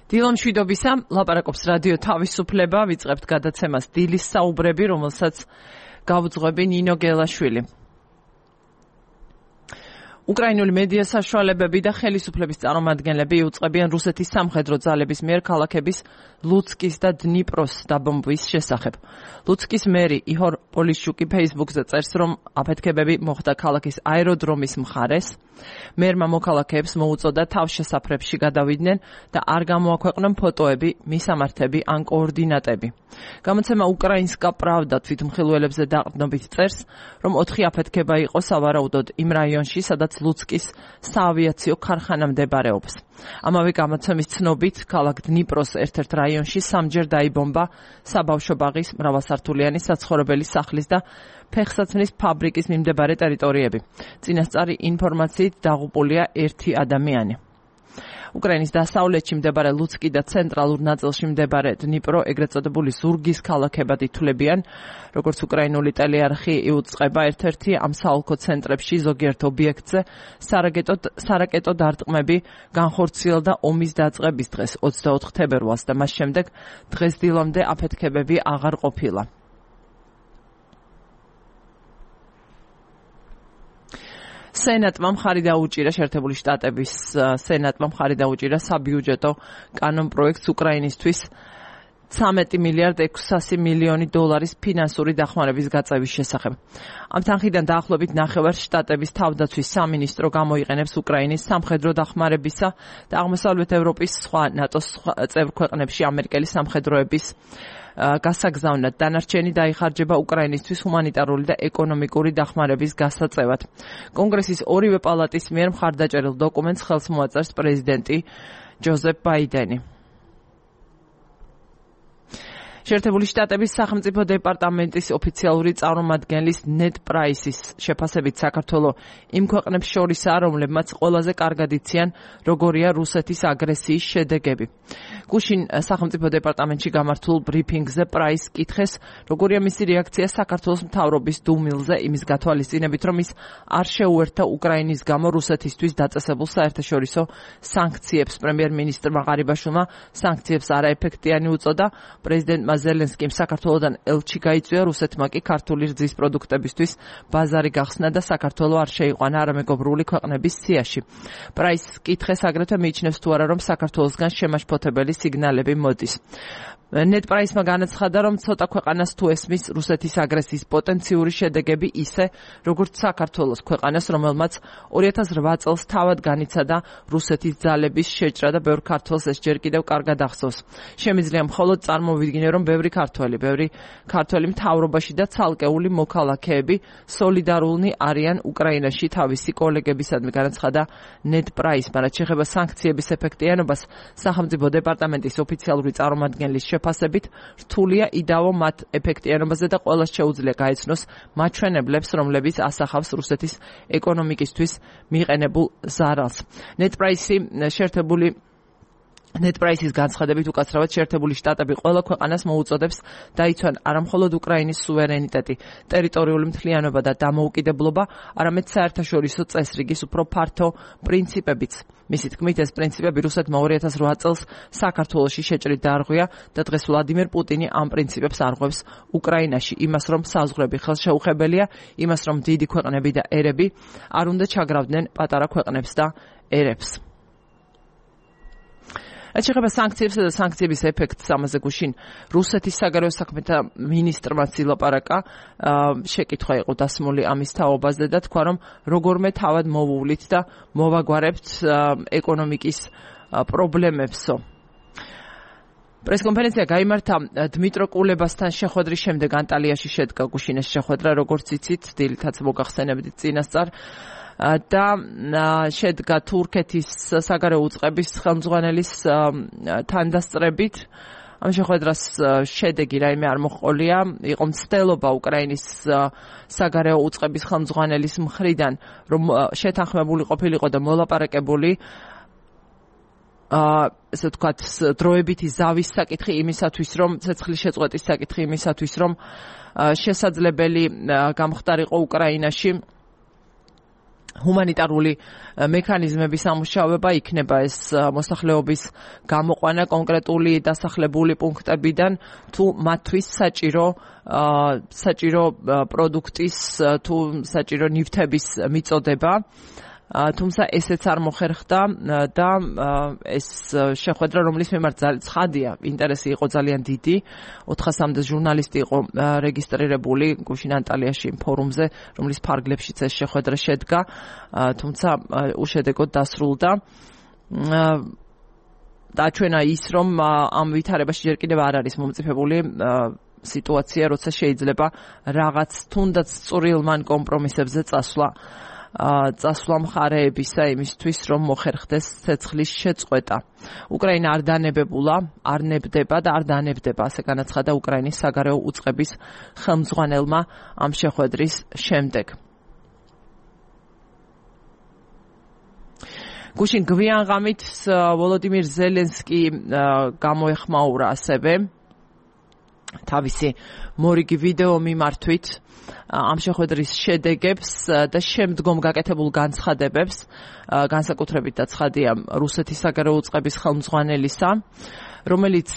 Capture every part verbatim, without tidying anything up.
დილო მშვიდობისა, ლაპარაკობს რადიო თავისუფლება, ვიწყებთ გადაცემას დილის საუბრები, რომელსაც გავუძღვები ნინო გელაშვილი. უკრაინული მედია საშუალებები და ხელისუფლების წარმომადგენლები იუწყებიან რუსეთის სამხედრო ძალების მიერ ქალაქების ლუცკის და დნიპროს დაბომბვის შესახებ. ლუცკის მერი იჰორ პოლიშჩუკი ფეისბუქზე წერს, რომ აფეთქებები მოხდა ქალაქის აეროდრომის მხარეს. მერმა მოქალაქეებს მოუწოდა თავშესაფრებში გადავიდნენ და არ გამოაქვეყნონ ფოტოები, მისამართები ან კოორდინატები. გამოცემა უკრაინსკა პრავდა თვითმხილველებზე დაყრდნობით წერს, რომ ოთხი აფეთქება იყო სავარაუდოდ იმ რაიონში, სადაც ლუცკის საავიაციო ქარხანა მდებარეობს. ამავე გამოცემის ცნობით, ქალაქ დნიპროს ერთ-ერთ რაიონში სამჯერ დაიბომბა საბავშვო ბაღის, მრავალსართულიანი საცხოვრებელი სახლის და ფეხსაცმლის ფაბრიკის მიმდებარე ტერიტორიები. წინასწარი ინფორმაციით დაღუპულია ერთი ადამიანი. უკრაინის დასავლეთში მდებარე ლუცკი და ცენტრალურ ნაწილში მდებარე დნიპრო ეგრეთ წოდებული ზურგის ქალაქებად ითვლებიან. როგორც უკრაინული ტელეარხი იუწყება, ერთ-ერთი ამ საოლქო ცენტრებში ზოგიერთ ობიექტზე სარაკეტო სარაკეტო დარტყმები განხორციელდა ომის დაწყების დღეს, ოცდაოთხ თებერვალს და მას შემდეგ დღეს დილამდე აფეთქებები აღარ ყოფილა. სენატმა მხარი დაუჭირა შეერთებული შტატების სენატმა მხარი დაუჭირა საბიუჯეტო კანონპროექტს უკრაინისთვის ცამეტი მილიარდ ექვსასი მილიონი დოლარის ფინანსური დახმარების გაწევის შესახებ. ამ თანხიდან დაახლოებით ნახევარ შტატების თავდაცვის სამინისტრო გამოიყენებს უკრაინის სამხედრო დახმარებისა და აღმოსავლეთ ევროპის სხვა ნატოს წევრ ქვეყნებში ამერიკელი სამხედროების გასაგზავნად. დანარჩენი დაიხარჯება უკრაინისთვის ჰუმანიტარული და ეკონომიკური დახმარების გასაწევად. კონგრესის ორივე პალატის მიერ მხარდაჭერილ დოკუმენტს ხელს მოაწერს პრეზიდენტი ჯოზეფ ბაიდენი. შეერთებული შტატების სახელმწიფო დეპარტამენტის ოფიციალური წარმომადგენლის ნედ პრაისის შეფასებით საქართველო იმ ქვეყნებს შორისაა, რომლებმაც ყველაზე კარგად იციან, როგორია რუსეთის აგრესიის შედეგები. გუშინ სახელმწიფო დეპარტამენტში გამართულ ბრიფინგზე პრაის კითხეს, როგორია მისი რეაქცია საქართველოს მთავრობის დუმილზე, იმის გათვალისწინებით, რომ ის არ შეუერთდა უკრაინის გამო რუსეთისთვის დაწესებულ საერთაშორისო სანქციებს. პრემიერ-მინისტრმა ღარიბაშვილმა სანქციებს არაეფექტიანი უწოდა. პრეზიდენტმა ზელენსკიმ საქართველოდან ელჩი გაიწვია, რუსეთმა კი ქართული რძის პროდუქტებისთვის ბაზარი გახსნა და საქართველო არ შეიყვანა არამეგობრული ქვეყნების სიაში. პრაისის კითხეს აგრეთვე მიიჩნევს თუ არა, რომ საქართველოსგან შემაშფოთებელი სიგნალები მოდის. ნედ პრაისმა განაცხადა, რომ ცოტა ქვეყანას თუ ესმის რუსეთის აგრესიის პოტენციური შედეგები ისე, როგორც საქართველოს ქვეყანას, რომელმაც ორი ათას რვა წელს თავად განიცადა რუსეთის ძალების შეჭრა და ბევრ ქართველს ეს ჯერ კიდევ კარგად ახსოვს. შემიძლია მხოლოდ წარმოვიდგინე, რომ ბევრი ქართველი, ბევრი ქართველი მთავრობაში და ცალკეული მოქალაქეები სოლიდარულნი არიან უკრაინაში თავისი კოლეგებისადმი, განაცხადა ნედ პრაისმა. რაც შეეხება სანქციების ეფექტიანობას, სახელმწიფო დეპარტამენტის ოფიციალური წარმომადგენლის შეფასებით, რთულია იდაო მათ ეფექტიანობაზე და ყველას შეუძლია გაეცნოს მაჩვენებლებს, რომლებიც ასახავს რუსეთის ეკონომიკისთვის მიყენებულ ზარალს. ნედ პრაისი შეერთებული ნედ პრაისის განცხადებით უკაცრავად შეერთებული შტატები ყველა ქვეყანას მოუწოდებს დაიცვან არამხოლოდ უკრაინის სუვერენიტეტი, ტერიტორიული მთლიანობა და დამოუკიდებლობა, არამედ საერთაშორისო წესრიგის უფრო ფართო პრინციპებიც. მისი თქმით, ეს პრინციპები რუსეთმა ორი ათას რვა წელს საქართველოში შეჭრით დაარღვია და დღეს ვლადიმერ პუტინი ამ პრინციპებს არღვევს უკრაინაში, იმას რომ საზღვრები ხელშეუხებელია, იმას რომ დიდი ქვეყნები და ერები არ უნდა ჩაგრავდნენ პატარა ქვეყნებს და ერებს. რაც შეეხება სანქციებსა და სანქციების ეფექტს, ამაზე გუშინ რუსეთის საგარეო საქმეთა მინისტრმაც ილაპარაკა. შეკითხვა იყო დასმული ამის თაობაზე და თქვა, რომ როგორმე თავად მოვუვლით და მოვაგვარებთ ეკონომიკის პრობლემებსო. პრესკონფერენცია გაიმართა დმიტრო კულებასთან შეხვედრის შემდეგ ანტალიაში შედგა გუშინ ეს შეხვედრა, როგორც იცით, დილითაც მოგახსენებდით წინასწარ. და შედგა თურქეთის საგარეო უწყების ხელმძღვანელის თანდასწრებით. ამ შეხვედრას შედეგი რაიმე არ მოჰყოლია, იყო მცდელობა უკრაინის საგარეო უწყების ხელმძღვანელის მხრიდან, რომ შეთანხმებული ყოფილიყო და მოლაპარაკებული ესე ვთქვათ, დროებითი ზავის საკითხი იმისათვის, რომ ცეცხლის შეწყვეტის საკითხი იმისათვის, რომ შესაძლებელი გამხდარიყო უკრაინაში ჰუმანიტარული მექანიზმების ამუშავება იქნება ეს მოსახლეობის გამოყვანა კონკრეტული დასახლებული პუნქტებიდან თუ მათთვის საჭირო საჭირო პროდუქტის თუ საჭირო ნივთების მიწოდება თუმცა ესეც არ მოხერხდა და ეს შეხვედრა რომლის მიმართ ცხადია ინტერესი იყო ძალიან დიდი ოთხასამდე ჟურნალისტი იყო რეგისტრირებული გუშინ ანტალიაში ფორუმზე რომლის ფარგლებშიც ეს შეხვედრა შედგა თუმცა უშედეგოდ დასრულდა დაჩვენა ის რომ ამ ვითარებაში ჯერ კიდევ არ არის მომწიფებული სიტუაცია როცა შეიძლება რაღაც თუნდაც წვრილმან კომპრომისებზე წასვლა წასვლა მხარეებისა იმისთვის რომ მოხერხდეს ცეცხლის შეწყვეტა. უკრაინა არ დანებებულა, არ ნებდება და არ დანებდება, ასე განაცხადა უკრაინის საგარეო უწყების ხელმძღვანელმა ამ შეხვედრის შემდეგ. გუშინ გვიან ღამით ვოლოდიმირ ზელენსკი გამოეხმაურა ასევე თავისი მორიგი ვიდეო მიმართვით ამ შეხვედრის შედეგებს და შემდგომ გაკეთებულ განცხადებებს განსაკუთრებით და ცხადია რუსეთის საგარეო უწყების ხელმძღვანელისა რომელიც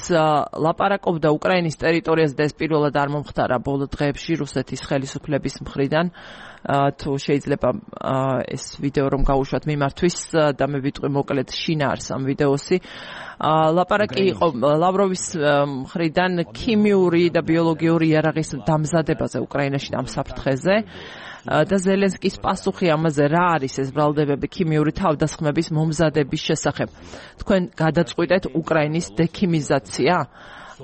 ლაპარაკობდა უკრაინის ტერიტორიაზე და ეს პირველად არ მომხდარა ბოლო დღეებში რუსეთის ხელისუფლების მხრიდან თუ შეიძლება ეს ვიდეო რომ გავუშვათ მიმართვის და მე ვიტყვი მოკლედ შინაარს ამ ვიდეოსი ლაპარაკი იყო ლავროვის მხრიდან ქიმიური და ბიოლოგიური იარაღის დამზადებაზე უკრაინაში ამ საფრთხეზე და ზელენსკის პასუხი ამაზე რა არის ეს ბრალდებები ქიმიური თავდასხმების მომზადების შესახებ. თქვენ გადაწყვიტეთ უკრაინის დექიმიზაცია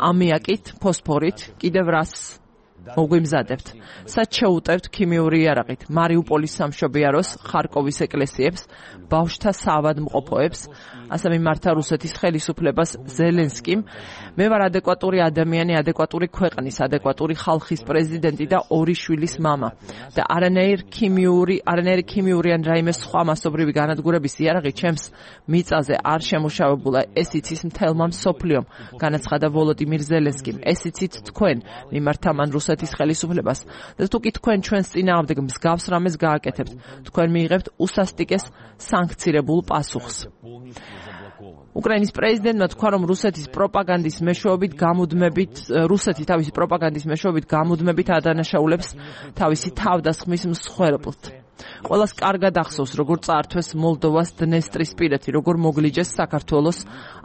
ამიაკით, ფოსფორით, კიდევ რას მოგვიმზადებთ. სად შეუტევთ ქიმიური იარაღით მარიუპოლის სამშობიაროს, ხარკოვის ეკლესიებს, ბავშვთა საავადმყოფოებს, ასე მიმართა რუსეთის ხელისუფლებას ზელენსკიმ. მე ვარ ადეკვატური ადამიანი, ადეკვატური ქვეყნის, ადეკვატური ხალხის პრეზიდენტი და ორი შვილის მამა. და არანაირ ქიმიური, არანაირი ქიმიური ან რაიმე სხვა მასობრივი განადგურების იარაღი ჩემს მიწაზე არ შემუშავებულა. ეს იცის მთელმა მსოფლიომ, განაცხადა ვოლოდიმირ ზელენსკიმ. ეს იცით თქვენ, მიმართა მან რუსეთის ხელისუფლებას და თუ კი თქვენ ჩვენს წინააღმდეგ მსგავს რამეს გააკეთებთ, თქვენ მიიღებთ უსასტიკეს სანქცირებულ პასუხს. უკრაინის პრეზიდენტმა თქვა, რომ რუსეთის პროპაგანდის მეშვეობით გამუდმებით რუსეთი თავისი პროპაგანდის მეშვეობით გამუდმებით ადანაშაულებს თავისი თავდასხმის მსხვერპლთ. ყველას კარგად ახსოვს, როგორ წაართვეს მოლდოვას დნესტრისპირეთი, როგორ მოგლიჯეს საქართველოს,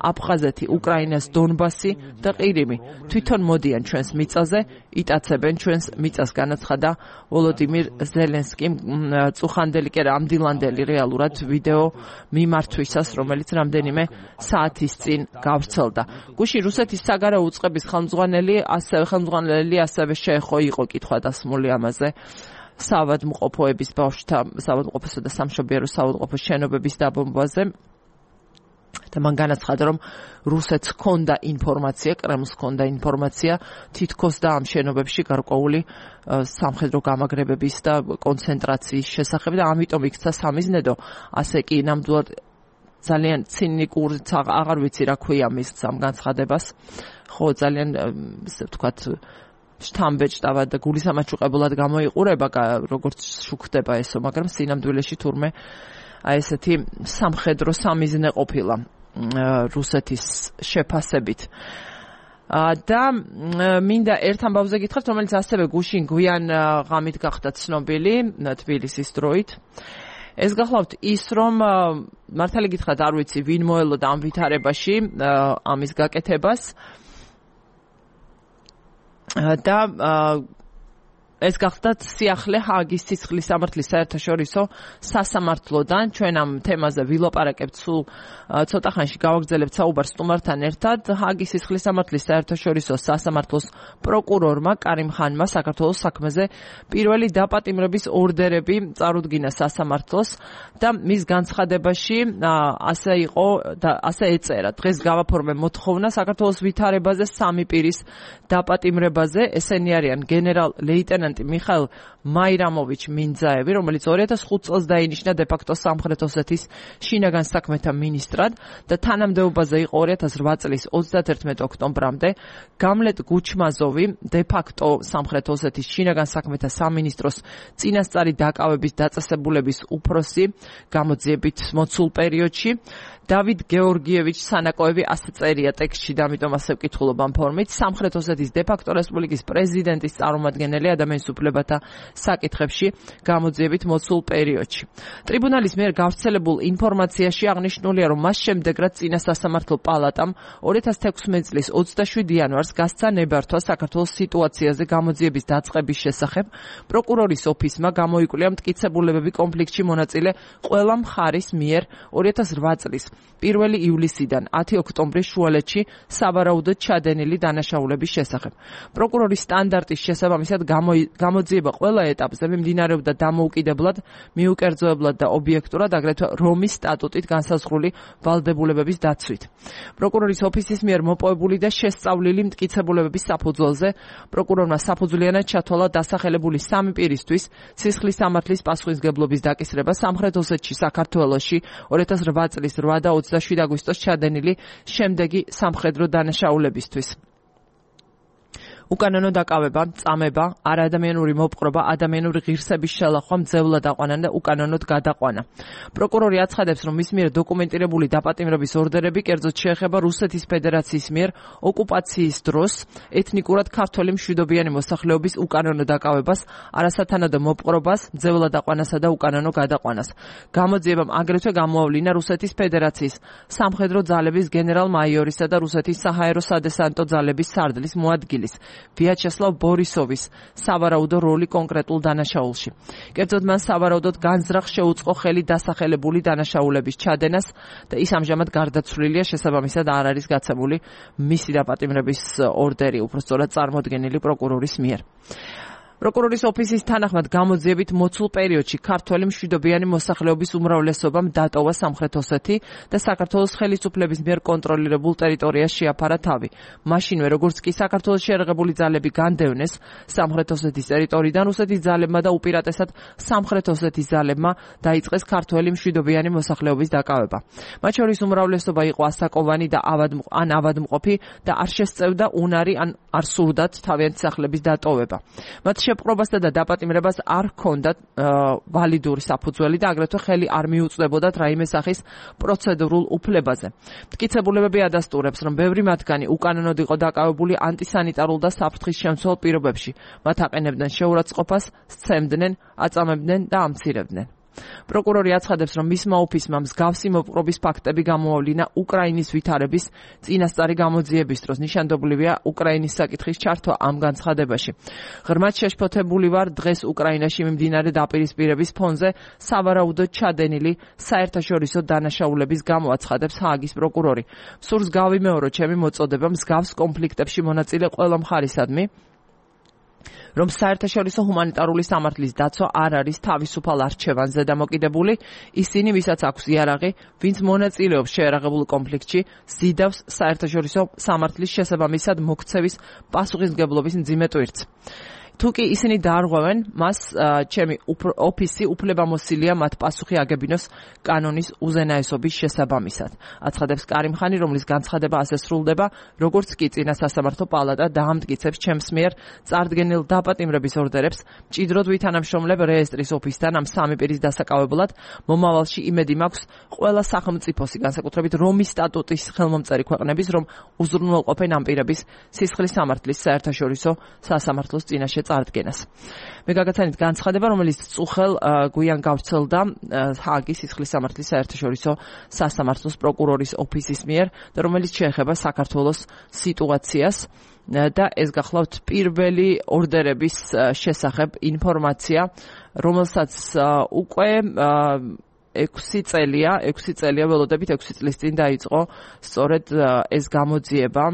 აფხაზეთი, უკრაინას დონბასი და ყირიმი. თვითონ მოდიან ჩვენს მიწაზე, იტაცებენ ჩვენს მიწას, განაცხადა ვოლოდიმირ ზელენსკიმ წუხანდელი კი არა ამდილანდელი რეალურად ვიდეო მიმართვისას, რომელიც რამდენიმე საათის წინ გავრცელდა. გუშინ რუსეთის საგარეო უწყების ხელმძღვანელი, ასევე ხელმძღვანელი ასევე შეეხო იყო კითხვა დასმული ამაზე. საავადმყოფოების ბავშვთა საავადმყოფოსა და სამშობიარო საავადმყოფოს შენობების დაბომბვაზე და მან განაცხადა, რომ რუსეთს ჰქონდა ინფორმაცია, კრემლს ჰქონდა ინფორმაცია თითქოს და ამ შენობებში გარკვეული სამხედრო გამაგრებების და კონცენტრაციის შესახებ და ამიტომ იქცა სამიზნედო, ასე კი ნამდვილად ძალიან ცინიკური აღარ ვიცი რა ქვია მის ამ განცხადებას. ხო, ძალიან ისე ვთქვათ შთამბეჭდავად და გულისამაჩუყებლად გამოიყურება, როგორც შუქდება ესო, მაგრამ სინამდვილეში თურმე აი ესეთი სამხედრო სამიზნე ყოფილა რუსეთის შეფასებით. და მინდა ერთ ამბავზე გითხრათ, რომელიც ასევე გუშინ გვიან ღამით გახდა ცნობილი თბილისის დროით. ეს გახლავთ ის, რომ მართალი გითხრათ, არ ვიცი ვინ მოელოდა ამ ვითარებაში ამის გაკეთებას და ეს გახდათ სიახლე ჰააგის ცეცხლის სამართლის საერთაშორისო სასამართლოდან. ჩვენ ამ თემაზე ვილაპარაკებთ სულ ცოტა ხანში გავაგრძელებთ საუბარს სტუმართან ერთად. ჰააგის ცეცხლის სამართლის საერთაშორისო სასამართლოს პროკურორმა კარიმ ხანმა საქართველოს საქმეზე პირველი დაპატიმრების ორდერები წარუდგინა სასამართლოს და მის განცხადებაში ასე იყო და ასე ეწერა: დღეს გავაფორმე მოთხოვნა საქართველოს ვითარებაზე სამი პირის დაპატიმრებაზე. ესენი არიან გენერალ-ლეიტენანტ პრეზიდენტი მიხაილ მაირამოვიჩ მინძაევი, რომელიც ორი ათას ხუთი წელს დაინიშნა დე-ფაქტო სამხრეთ ოსეთის შინაგან საქმეთა მინისტრად და თანამდებობაზე იყო ორი ათას რვა წლის ოცდაათერთმეტი ოქტომბრამდე. გამლეტ გუჩმაზოვი დე-ფაქტო სამხრეთ ოსეთის შინაგან საქმეთა სამინისტროს წინასწარი დაკავების დაწესებულების უფროსი გამოძიებით მოცულ პერიოდში. დავით გეორგიევიჩ სანაკოევი ასე წერია ტექსტში და ამიტომ ასე ვკითხულობ ამ ფორმით. სამხრეთ ოსეთის დე-ფაქტო რესპუბლიკის პრეზიდენტის წარმომადგენელი ადამიანის უფლებათა საკითხებში გამოძიებით მოცულ პერიოდში. ტრიბუნალის მიერ გავრცელებულ ინფორმაციაში აღნიშნულია, რომ მას შემდეგ, რაც წინა სასამართლო პალატამ ორი ათას თექვსმეტი წლის ოცდაშვიდი იანვარს გასცა ნებართვა საქართველოს სიტუაციაზე გამოძიების დაწყების შესახებ, პროკურორის ოფისმა გამოიკვლია მტკიცებულებები კონფლიქტში მონაწილე ყველა მხარის მიერ ორი ათას რვა წლის პირველი ივლისიდან ათი ოქტომბრის შუალედში სავარაუდოდ ჩადენილი დანაშაულების შესახებ. პროკურორის სტანდარტის შესაბამისად გამოძიება ყველა ეტაპზე მიმდინარეობდა დამოუკიდებლად, მიუკერძოებლად და ობიექტურად, აგრეთვე რომის სტატუტით განსაზღვრული ვალდებულებების დაცვით. პროკურორის ოფისის მიერ მოპოვებული და შესწავლილი მტკიცებულებების საფუძველზე პროკურორმა საფუძვლიანად ჩათვალა დასახელებული სამი პირისთვის სისხლის სამართლის პასუხისმგებლობის დაკისრება სამხრეთ ოსეთში, საქართველოში ორი ათას რვა წლის რვა და ოცდაშვიდი აგვისტოს ჩადენილი შემდეგი სამხედრო დანაშაულებისთვის. უკანონო დაკავება, წამება, არაადამიანური მოპყრობა, ადამიანური ღირსების შელახვა, მძევლად აყვანა და უკანონოდ გადაყვანა. პროკურორი აცხადებს, რომ მის მიერ დოკუმენტირებული დაპატიმრების ორდერები კერძოდ შეეხება რუსეთის ფედერაციის მიერ ოკუპაციის დროს ეთნიკურად ქართველი მშვიდობიანი მოსახლეობის უკანონო დაკავებას, არასათანადო მოპყრობას, მძევლად აყვანასა და უკანონო გადაყვანას. გამოძიებამ აგრეთვე გამოავლინა რუსეთის ფედერაციის სამხედრო ძალების გენერალ-მაიორისა და რუსეთის საჰაერო სადესანტო ძალების სარდლის მოადგილის ვიაჩესლავ ბორისოვის სავარაუდო როლი კონკრეტულ დანაშაულში. კერძოდ მან სავარაუდოდ განზრახ შეუწყო ხელი დასახელებული დანაშაულების ჩადენას და ის ამჟამად გარდაცვლილია, შესაბამისად არ არის გაცემული მისი დაპატიმრების ორდერი, უბრალოდ წარმოდგენილი პროკურორის მიერ. პროკურორის ოფისის თანახმად გამოძიებით მოცულ პერიოდში ქართველი მშვიდობიანი მოსახლეობის უმრავლესობამ დატოვა სამხრეთ ოსეთი და საქართველოს ხელისუფლების მიერ კონტროლირებულ ტერიტორიას შეაფარა თავი. მაშინვე, როგორც კი საქართველოს შეერაღებული ძალები განდევნეს სამხრეთ ოსეთის ტერიტორიიდან, რუსეთის ძალებმა და უპირატესად სამხრეთ ოსეთის ძალებმა დაიწყეს ქართველი მშვიდობიანი მოსახლეობის დაკავება. მათ შორის უმრავლესობა იყო ასაკოვანი და ან ავადმყოფი და არ შესწევდა უნარი ან არ სურდათ თავიანთი სახლების დატოვება. მათ შეპყრობასა და დაპატიმრებას არ ჰქონდათ ვალიდური საფუძველი და აგრეთვე ხელი არ მიუწვდებოდათ რაიმე სახის პროცედურულ უფლებაზე. მტკიცებულებები ადასტურებს, რომ ბევრი მათგანი უკანონოდ იყო დაკავებული ანტისანიტარულ და საფრთხის შემცველ პირობებში. მათ აყენებდნენ შეურაცხყოფას, სცემდნენ, აწამებდნენ და ამცირებდნენ. პროკურორი აცხადებს, რომ მისმა ოფისმა მსგავსი მოპყრობის ფაქტები გამოავლინა უკრაინის ვითარების წინასწარი გამოძიების დროს. ნიშანდობლივია უკრაინის საკითხის ჩართვა ამ განცხადებაში. ღრმად შეშფოთებული ვარ დღეს უკრაინაში მიმდინარე დაპირისპირების ფონზე სავარაუდოდ ჩადენილი საერთაშორისო დანაშაულების გამო, აცხადებს ჰააგის პროკურორი. სურს გავიმეორო ჩემი მოწოდება მსგავს კონფლიქტებში მონაწილე ყველა მხარისადმი, რომ საერთაშორისო ჰუმანიტარული სამართლის დაცვა არ არის თავისუფალ არჩევანზე დამოკიდებული, ისინი, ვისაც აქვს იარაღი, ვინც მონაწილეობს შეერაღებულ კონფლიქტში, ზიდავს საერთაშორისო სამართლის შესაბამისად მოქცევის პასუხისმგებლობის მძიმე ტვირთს. თუ კი ისინი დაარღვევენ, მას ჩემი ოფისი უფლებამოსილია მათ პასუხი აგებინოს კანონის უზენაესობის შესაბამისად. აცხადებს კარიმხანი, რომლის განცხადება ასე სრულდება, როგორც კი წინა სასამართლო პალატა დაამტკიცებს ჩემს მიერ წარდგენილ დაპატიმრების ორდერებს, მჭიდროდ ვითანამშრომლებ რეესტრის ოფისთან ამ სამი პირის დასაკავებლად. მომავალში იმედი მაქვს ყველა სახელმწიფოსი, განსაკუთრებით რომის სტატუტის ხელმომწერი ქვეყნების, რომ უზრუნველყოფენ ამ პირების სისხლის სამართლის საერთაშორისო სასამართლოს წინაშე წარდგენას. მე გაგაცანით განცხადება, რომელიც წუხელ გვიან გავრცელდა ჰააგის სისხლის სამართლის საერთაშორისო სასამართლოს პროკურორის ოფისის მიერ და რომელიც შეეხება საქართველოს სიტუაციას და ეს გახლავთ პირველი ორდერების შესახებ ინფორმაცია, რომელსაც უკვე ექვსი წელია, ექვსი წელია ველოდებით ექვსი წლის წინ დაიწყო სწორედ ეს გამოძიება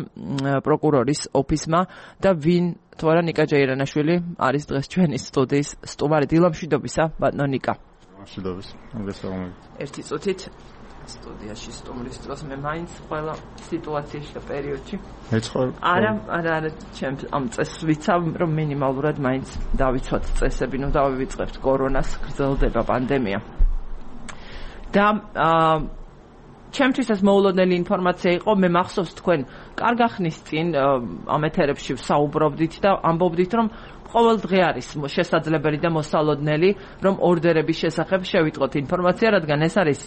პროკურორის ოფისმა და ვინ თორა ნიკა ჯეირანაშვილი არის დღეს ჩვენი სტუდიის სტუმარი. დილამშვიდობისა, ბატონო ნიკა. მშვიდობის. მოგესალმებით. ერთი წუთით სტუდიაში სტუმრის დროს მე მაინც ყველა სიტუაციაში და პერიოდში მეცხოვ არა არა არა ჩემს ამ წესს ვიცავ რომ მინიმალურად მაინც დავიცვათ წესები ნუ დავივიწყებთ კორონას გრძელდება პანდემია და ჩემთვის ეს მოულოდნელი ინფორმაცია იყო მე მახსოვს თქვენ კარგ ახნის წინ ამ ეთერებში ვსაუბრობდით და ამბობდით რომ ყოველ დღე არის შესაძლებელი და მოსალოდნელი რომ ორდერების შესახებ შევიტყოთ ინფორმაცია რადგან ეს არის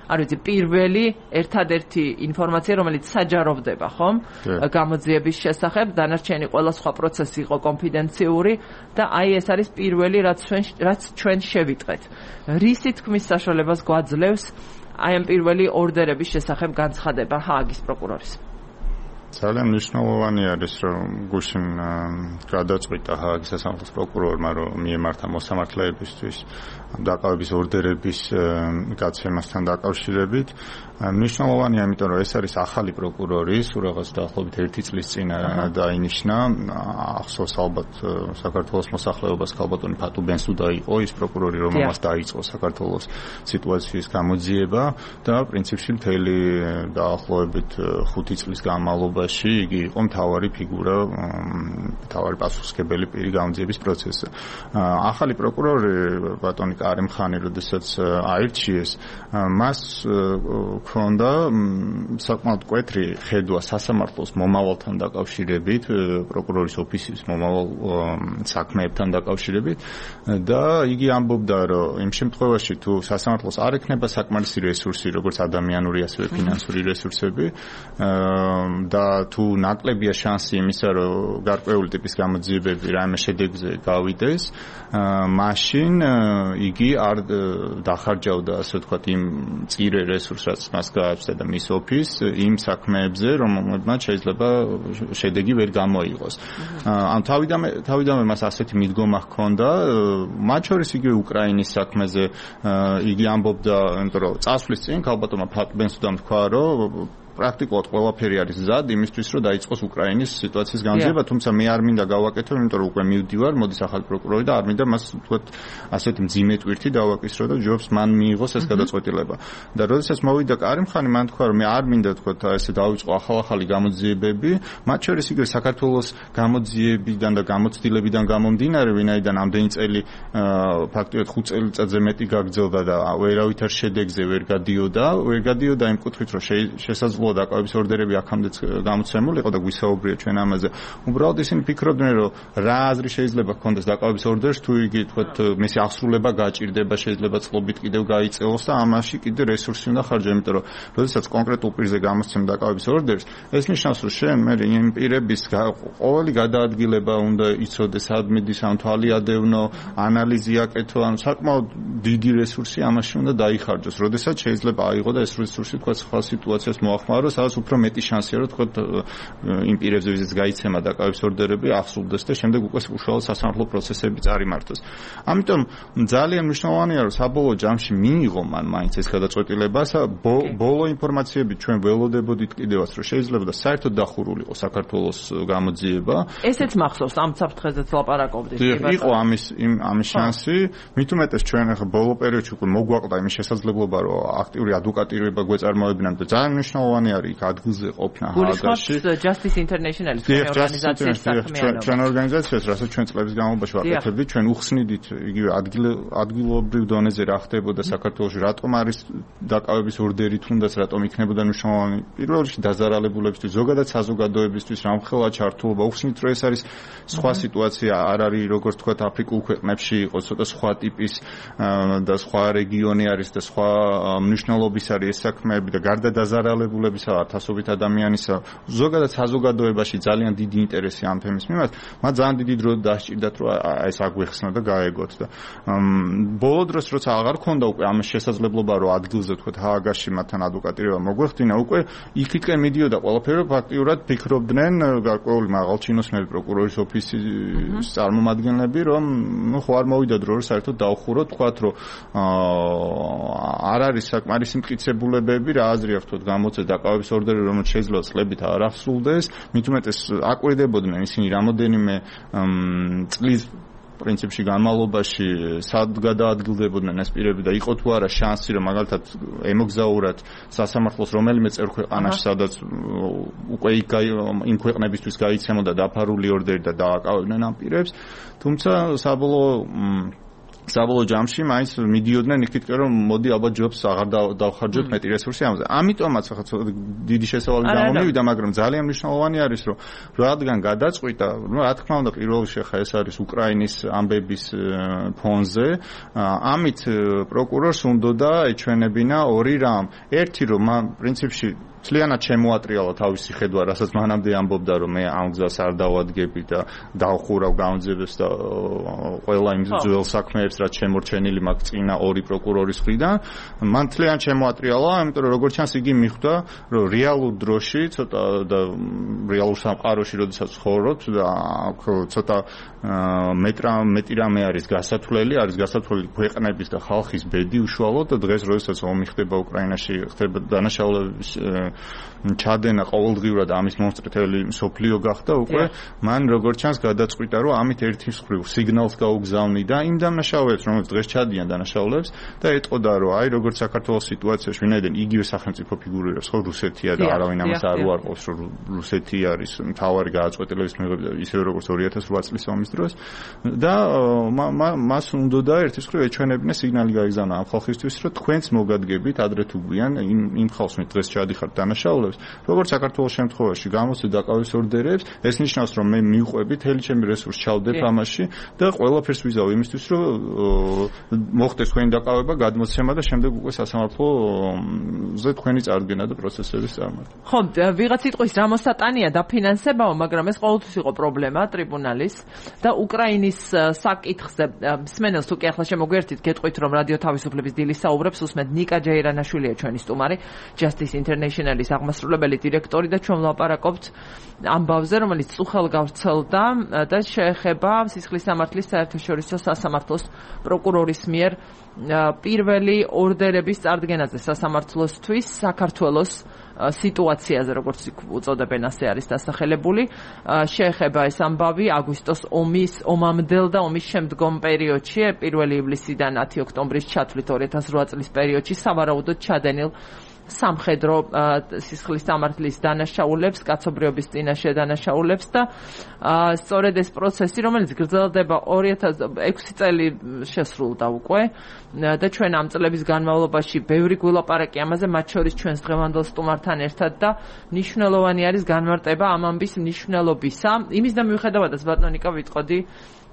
არ ვიცი პირველი ერთადერთი ინფორმაცია რომელიც საჯაროვდება ხომ გამოძიების შესახებ დანარჩენი ყველა სხვა პროცესი იყო კონფიდენციური და აი ეს არის პირველი რაც ჩვენ რაც ჩვენ შევიტყეთ რისი თქმის საშუალებას გვაძლევს აი ამ პირველი ორდერების შესახებ განცხადება ჰააგის პროკურორის ძალიან მნიშვნელოვანი არის რომ გუშინ გადაწყვიტა ჰააგის სასამართლოს პროკურორმა რომ მიემართა მოსამართლეებისთვის დაკავების ორდერების გაცემასთან დაკავშირებით მნიშვნელოვანია იმიტომ რომ ეს არის ახალი პროკურორი სულ რაღაც დაახლოებით ერთი წლის წინ დაინიშნა ახსოვს ალბათ საქართველოს მოსახლეობას ქალბატონი ფატუ ბენსუდა იყო ის პროკურორი რომელმაც დაიწყო საქართველოს სიტუაციის გამოძიება და პრინციპში მთელი დაახლოებით ხუთი წლის განმავლობაში იგი იყო მთავარი ფიგურა მთავარი პასუხისმგებელი პირი გამოძიების პროცესზე ახალი პროკურორი ბატონი კარიმ ხანი როდესაც აირჩიეს მას ქონდა საკმაოდ მკვეთრი ხედვა სასამართლოს მომავალთან დაკავშირებით პროკურორის ოფისის მომავალ საქმეებთან დაკავშირებით და იგი ამბობდა რომ იმ შემთხვევაში თუ სასამართლოს არ ექნება საკმარისი რესურსი როგორც ადამიანური ასევე ფინანსური რესურსები და თუ ნაკლებია შანსი იმისა რომ გარკვეული ტიპის გამოძიებები რაიმე შედეგზე გავიდეს მაშინ იგი არ დახარჯავდა ასე ვთქვათ იმ წირე რესურსს რაც მას გააჩნდა და მის ოფის იმ საქმეებზე რომელმაც შეიძლება შედეგი ვერ გამოიღოს. ამ თავიდანვე თავიდანვე მას ასეთი მიდგომა ჰქონდა მათ შორის იგივე უკრაინის საქმეზე იგი ამბობდა იმიტომ რომ წასვლის წინ ქალბატონმა ფატბენსუდამ თქვა რომ პრაქტიკულად ყველაფერი არის მზად იმისთვის რომ დაიწყოს უკრაინის სიტუაციის განძიება თუმცა მე არ მინდა გავაკეთო იმიტომ რომ უკვე მივდივარ მოდის ახალი პროკურორი და არ მინდა მას თქვათ ასეთი მძიმე ტვირთი დავაკისრო და ჯობს მან მიიღოს ეს გადაწყვეტილება და როდესაც მოვიდა კარიმ ხანი მან თქვა რომ მე არ მინდა თქვათ ესე დავიწყო ახალ-ახალი გამოძიებები მათ შორის იგივე საქართველოს გამოძიებიდან და გამოცდილებიდან გამომდინარე ვინაიდან ამდენი წელი ფაქტობრივად ხუთ წელიწადზე მეტი გაგრძელდა და ვერავითარ შედეგზე ვერ გადიოდა ვერ გადიოდა იმ კუთხით რომ შესაძლოა დაკავების ორდერები აქამდეც გამოცემული იყო და გვისაუბრია ჩვენ ამაზე. უბრალოდ ისინი ფიქრობდნენ რომ რა აზრი შეიძლება ჰქონდეს დაკავების ორდერს თუ იგი თქვათ მისი აღსრულება გაჭირდება შეიძლება წყობით კიდევ გაიწელოს და ამაში კიდე რესურსი უნდა ხარჯა იმიტომ რომ როდესაც კონკრეტულ პირზე გამოსცემ დაკავების ორდერს ეს ნიშნავს რომ შენ მე იმ პირების ყოველი გადაადგილება უნდა იცოდეს ადმინის ამ თვალი ადევნო ანალიზი აკეთო ან საკმაოდ დიდი რესურსი ამაში უნდა დაიხარჯოს როდესაც შეიძლება აიღო და ეს რესურსი თქვათ სხვა სიტუაციას მოახმარო რომ სადაც უფრო მეტი შანსია რომ თქვათ იმ პირებზე ვიზეც გაიცემა დაკავების ორდერები აღსრულდეს და შემდეგ უკვე უშუალოდ სასამართლო პროცესები წარიმართოს. ამიტომ ძალიან მნიშვნელოვანია რომ საბოლოო ჯამში მიიღო მან მაინც ეს გადაწყვეტილება ბოლო ინფორმაციები ჩვენ ველოდებოდით კიდევაც რომ შეიძლება და საერთოდ დახურულიყო საქართველოს გამოძიება. ესეც მახსოვს ამ საფრთხეზეც ლაპარაკობდით. იყო ამის ამის შანსი მით უმეტეს ჩვენ ახლა ბოლო პერიოდში უკვე მოგვაყდა იმის შესაძლებლობა რომ აქტიური ადვოკატირება გვეწარმოებინან და ძალიან მნიშვნელოვანი არის იქ ადგილზე ყოფნა ჰააგაში. Justice International-ის ორგანიზაციის საქმიანობა. ჩვენ ორგანიზაციას, რასაც ჩვენ წლების განმავლობაში ვაკეთებდით, ჩვენ უხსნიდით იგივე ადგილობრივ დონეზე რა ხდებოდა საქართველოში, რატომ არის დაკავების ორდერი თუნდაც რატომ იქნებოდა მნიშვნელოვანი. პირველ რიგში დაზარალებულებისთვის, ზოგადად საზოგადოებისთვის, რამხელა ჩართულობა უხსნით, რომ ეს არის სხვა სიტუაცია, არ არის როგორც თქვათ აფრიკულ ქვეყნებში იყო, ცოტა სხვა ტიპის და სხვა რეგიონი არის და სხვა მნიშვნელობის არის ეს საქმეები და გარდა დაზარალებულებისა ათასობით ადამიანისა ზოგადად საზოგადოებაში ძალიან დიდი ინტერესი ამ თემის მიმართ მათ ძალიან დიდი დრო დასჭირდათ რომ ეს აგვეხსნა და გაეგოთ და ბოლო დროს როცა აღარ ქონდა უკვე ამ შესაძლებლობა რომ ადგილზე თქვათ ჰააგაში მათთან ადვოკატირება მოგვეხდინა უკვე იქ-იქკენ მიდიოდა ყველაფერი რომ ფაქტიურად ფიქრობდნენ გარკვეული მაღალჩინოსნები პროკურორის ოფისის წარმომადგენლები რომ ნუ ხო არ მოვიდა დრო რომ საერთოდ დაუხუროთ თქვათ რომ არ არის საკმარისი მტკიცებულებები რა აზრი აქვს თქვათ გამოწე დაკავების ორდერი რომელიც შეიძლება წლებით არ აღსრულდეს მით უმეტეს აკვირდებოდნენ ისინი რამოდენიმე წლის პრინციპში განმავლობაში სად გადაადგილდებოდნენ ეს პირები და იყო თუ არა შანსი რომ მაგალითად ემოგზაურათ სასამართლოს რომელიმე წერ ქვეყანაში სადაც უკვე იმ ქვეყნებისთვის გაიცემოდა დაფარული ორდერი და დააკავებდნენ ამ პირებს თუმცა საბოლოო საბოლოო ჯამში მაინც მიდიოდნენ იქითკენ რომ მოდი ალბათ ჯობს აღარ დავხარჯოთ მეტი რესურსი ამაზე. ამიტომაც ახლა დიდი შესავალი გამომივიდა, მაგრამ ძალიან მნიშვნელოვანი არის რომ რადგან გადაწყვიტა, ну რა თქმა უნდა პირველ რიგში ხა ეს არის უკრაინის ამბების ფონზე, ამით პროკურორს უნდოდა ეჩვენებინა ორი რამ. ერთი რომ პრინციპში ძალიანად შემოატრიალა თავისი ხედვა, რასაც მანამდე ამბობდა რომ მე ამ გზას არ დავადგები და დავხურავ გამძებებს და ყველა იმ ძველ საქმეებს რაც შემორჩენილი მაქვს წინა ორი პროკურორის მხრიდან, მან ძალიან შემოატრიალა, იმიტომ რომ როგორც ჩანს იგი მიხვდა, რომ რეალურ დროში ცოტა და რეალურ სამყაროში როდესაც ცხოვრობთ და ცოტა მეტრა მეტი რამე არის გასათვლელი, არის გასათვლელი ქვეყნების და ხალხის ბედი უშუალოდ და დღეს როდესაც ომი ხდება უკრაინაში, ხდება დანაშაულების ჩადენა ყოველდღიურად ამის მონსტრეთელი მსოფლიო გახდა უკვე მან როგორც ჩანს გადაწყვიტა რომ ამით ერთი მხრივ სიგნალს გაუგზავნი და იმ დანაშაულებს რომელიც დღეს ჩადიან დანაშაულებს და ეტყოდა რომ აი როგორც საქართველოს სიტუაციაში ვინაიდან იგივე სახელმწიფო ფიგურირებს ხო რუსეთია და არავინ ამას არ უარყოფს რომ რუსეთი არის მთავარი გადაწყვეტილების მიღებდა ისევე როგორც ორი ათას ოთხ წლის ომის დროს და მას უნდოდა ერთი მხრივ ეჩვენებინა სიგნალი გაიგზავნა ამ ხალხისთვის რომ თქვენც მოგადგებით ადრე თუ გვიან იმ იმ ხალხს მე დღეს ჩადიხართ დანაშაულებს როგორც საქართველოს შემთხვევაში გამოსცე დაკავების ორდერებს ეს ნიშნავს რომ მე მივყვები თელი ჩემი რესურსი ჩავდებ ამაში და ყველაფერს ვიზავ იმისთვის რომ მოხდეს თქვენი დაკავება გადმოცემა და შემდეგ უკვე სასამართლოზე თქვენი წარდგენა და პროცესების წარმატება ხო ვიღაც სიტყვის რამოსატანია დაფინანსებაო მაგრამ ეს ყოველთვის იყო პრობლემა ტრიბუნალის და უკრაინის საკითხზე მსმენელს თუ კი ახლა შემოგვერთით გეტყვით რომ რადიო თავისუფლების დილის საუბრებს უსმენთ ნიკა ჯეირანაშვილია ჩვენი სტუმარი Justice International-ის აღმასრულებელი დირექტორი და ჩვენ ვლაპარაკობთ ამბავზე, რომელიც წუხელ გავრცელდა და შეეხება სისხლის სამართლის საერთაშორისო სასამართლოს პროკურორის მიერ პირველი ორდერების წარდგენაზე სასამართლოსთვის საქართველოს სიტუაციაზე, როგორც უწოდებენ, ასე არის დასახელებული. შეეხება ეს ამბავი აგვისტოს ომის ომამდელ და ომის შემდგომ პერიოდში, პირველი ივლისიდან ათი ოქტომბრის ჩათვლით ორი ათას რვა წლის პერიოდში სავარაუდოდ ჩადენილ სამხედრო სისხლის სამართლის დანაშაულებს, კაცობრიობის წინაშე დანაშაულებს და სწორედ ეს პროცესი, რომელიც გრძელდება ორი ათას ექვსი წელი შესრულდა უკვე და ჩვენ ამ წლების განმავლობაში ბევრი გვილაპარაკი ამაზე, მათ შორის ჩვენს დღევანდელ სტუმართან ერთად და მნიშვნელოვანი არის განმარტება ამ ამბის მნიშვნელობისა. იმის და მიუხედავადაც ბატონო ნიკა ვიტყოდი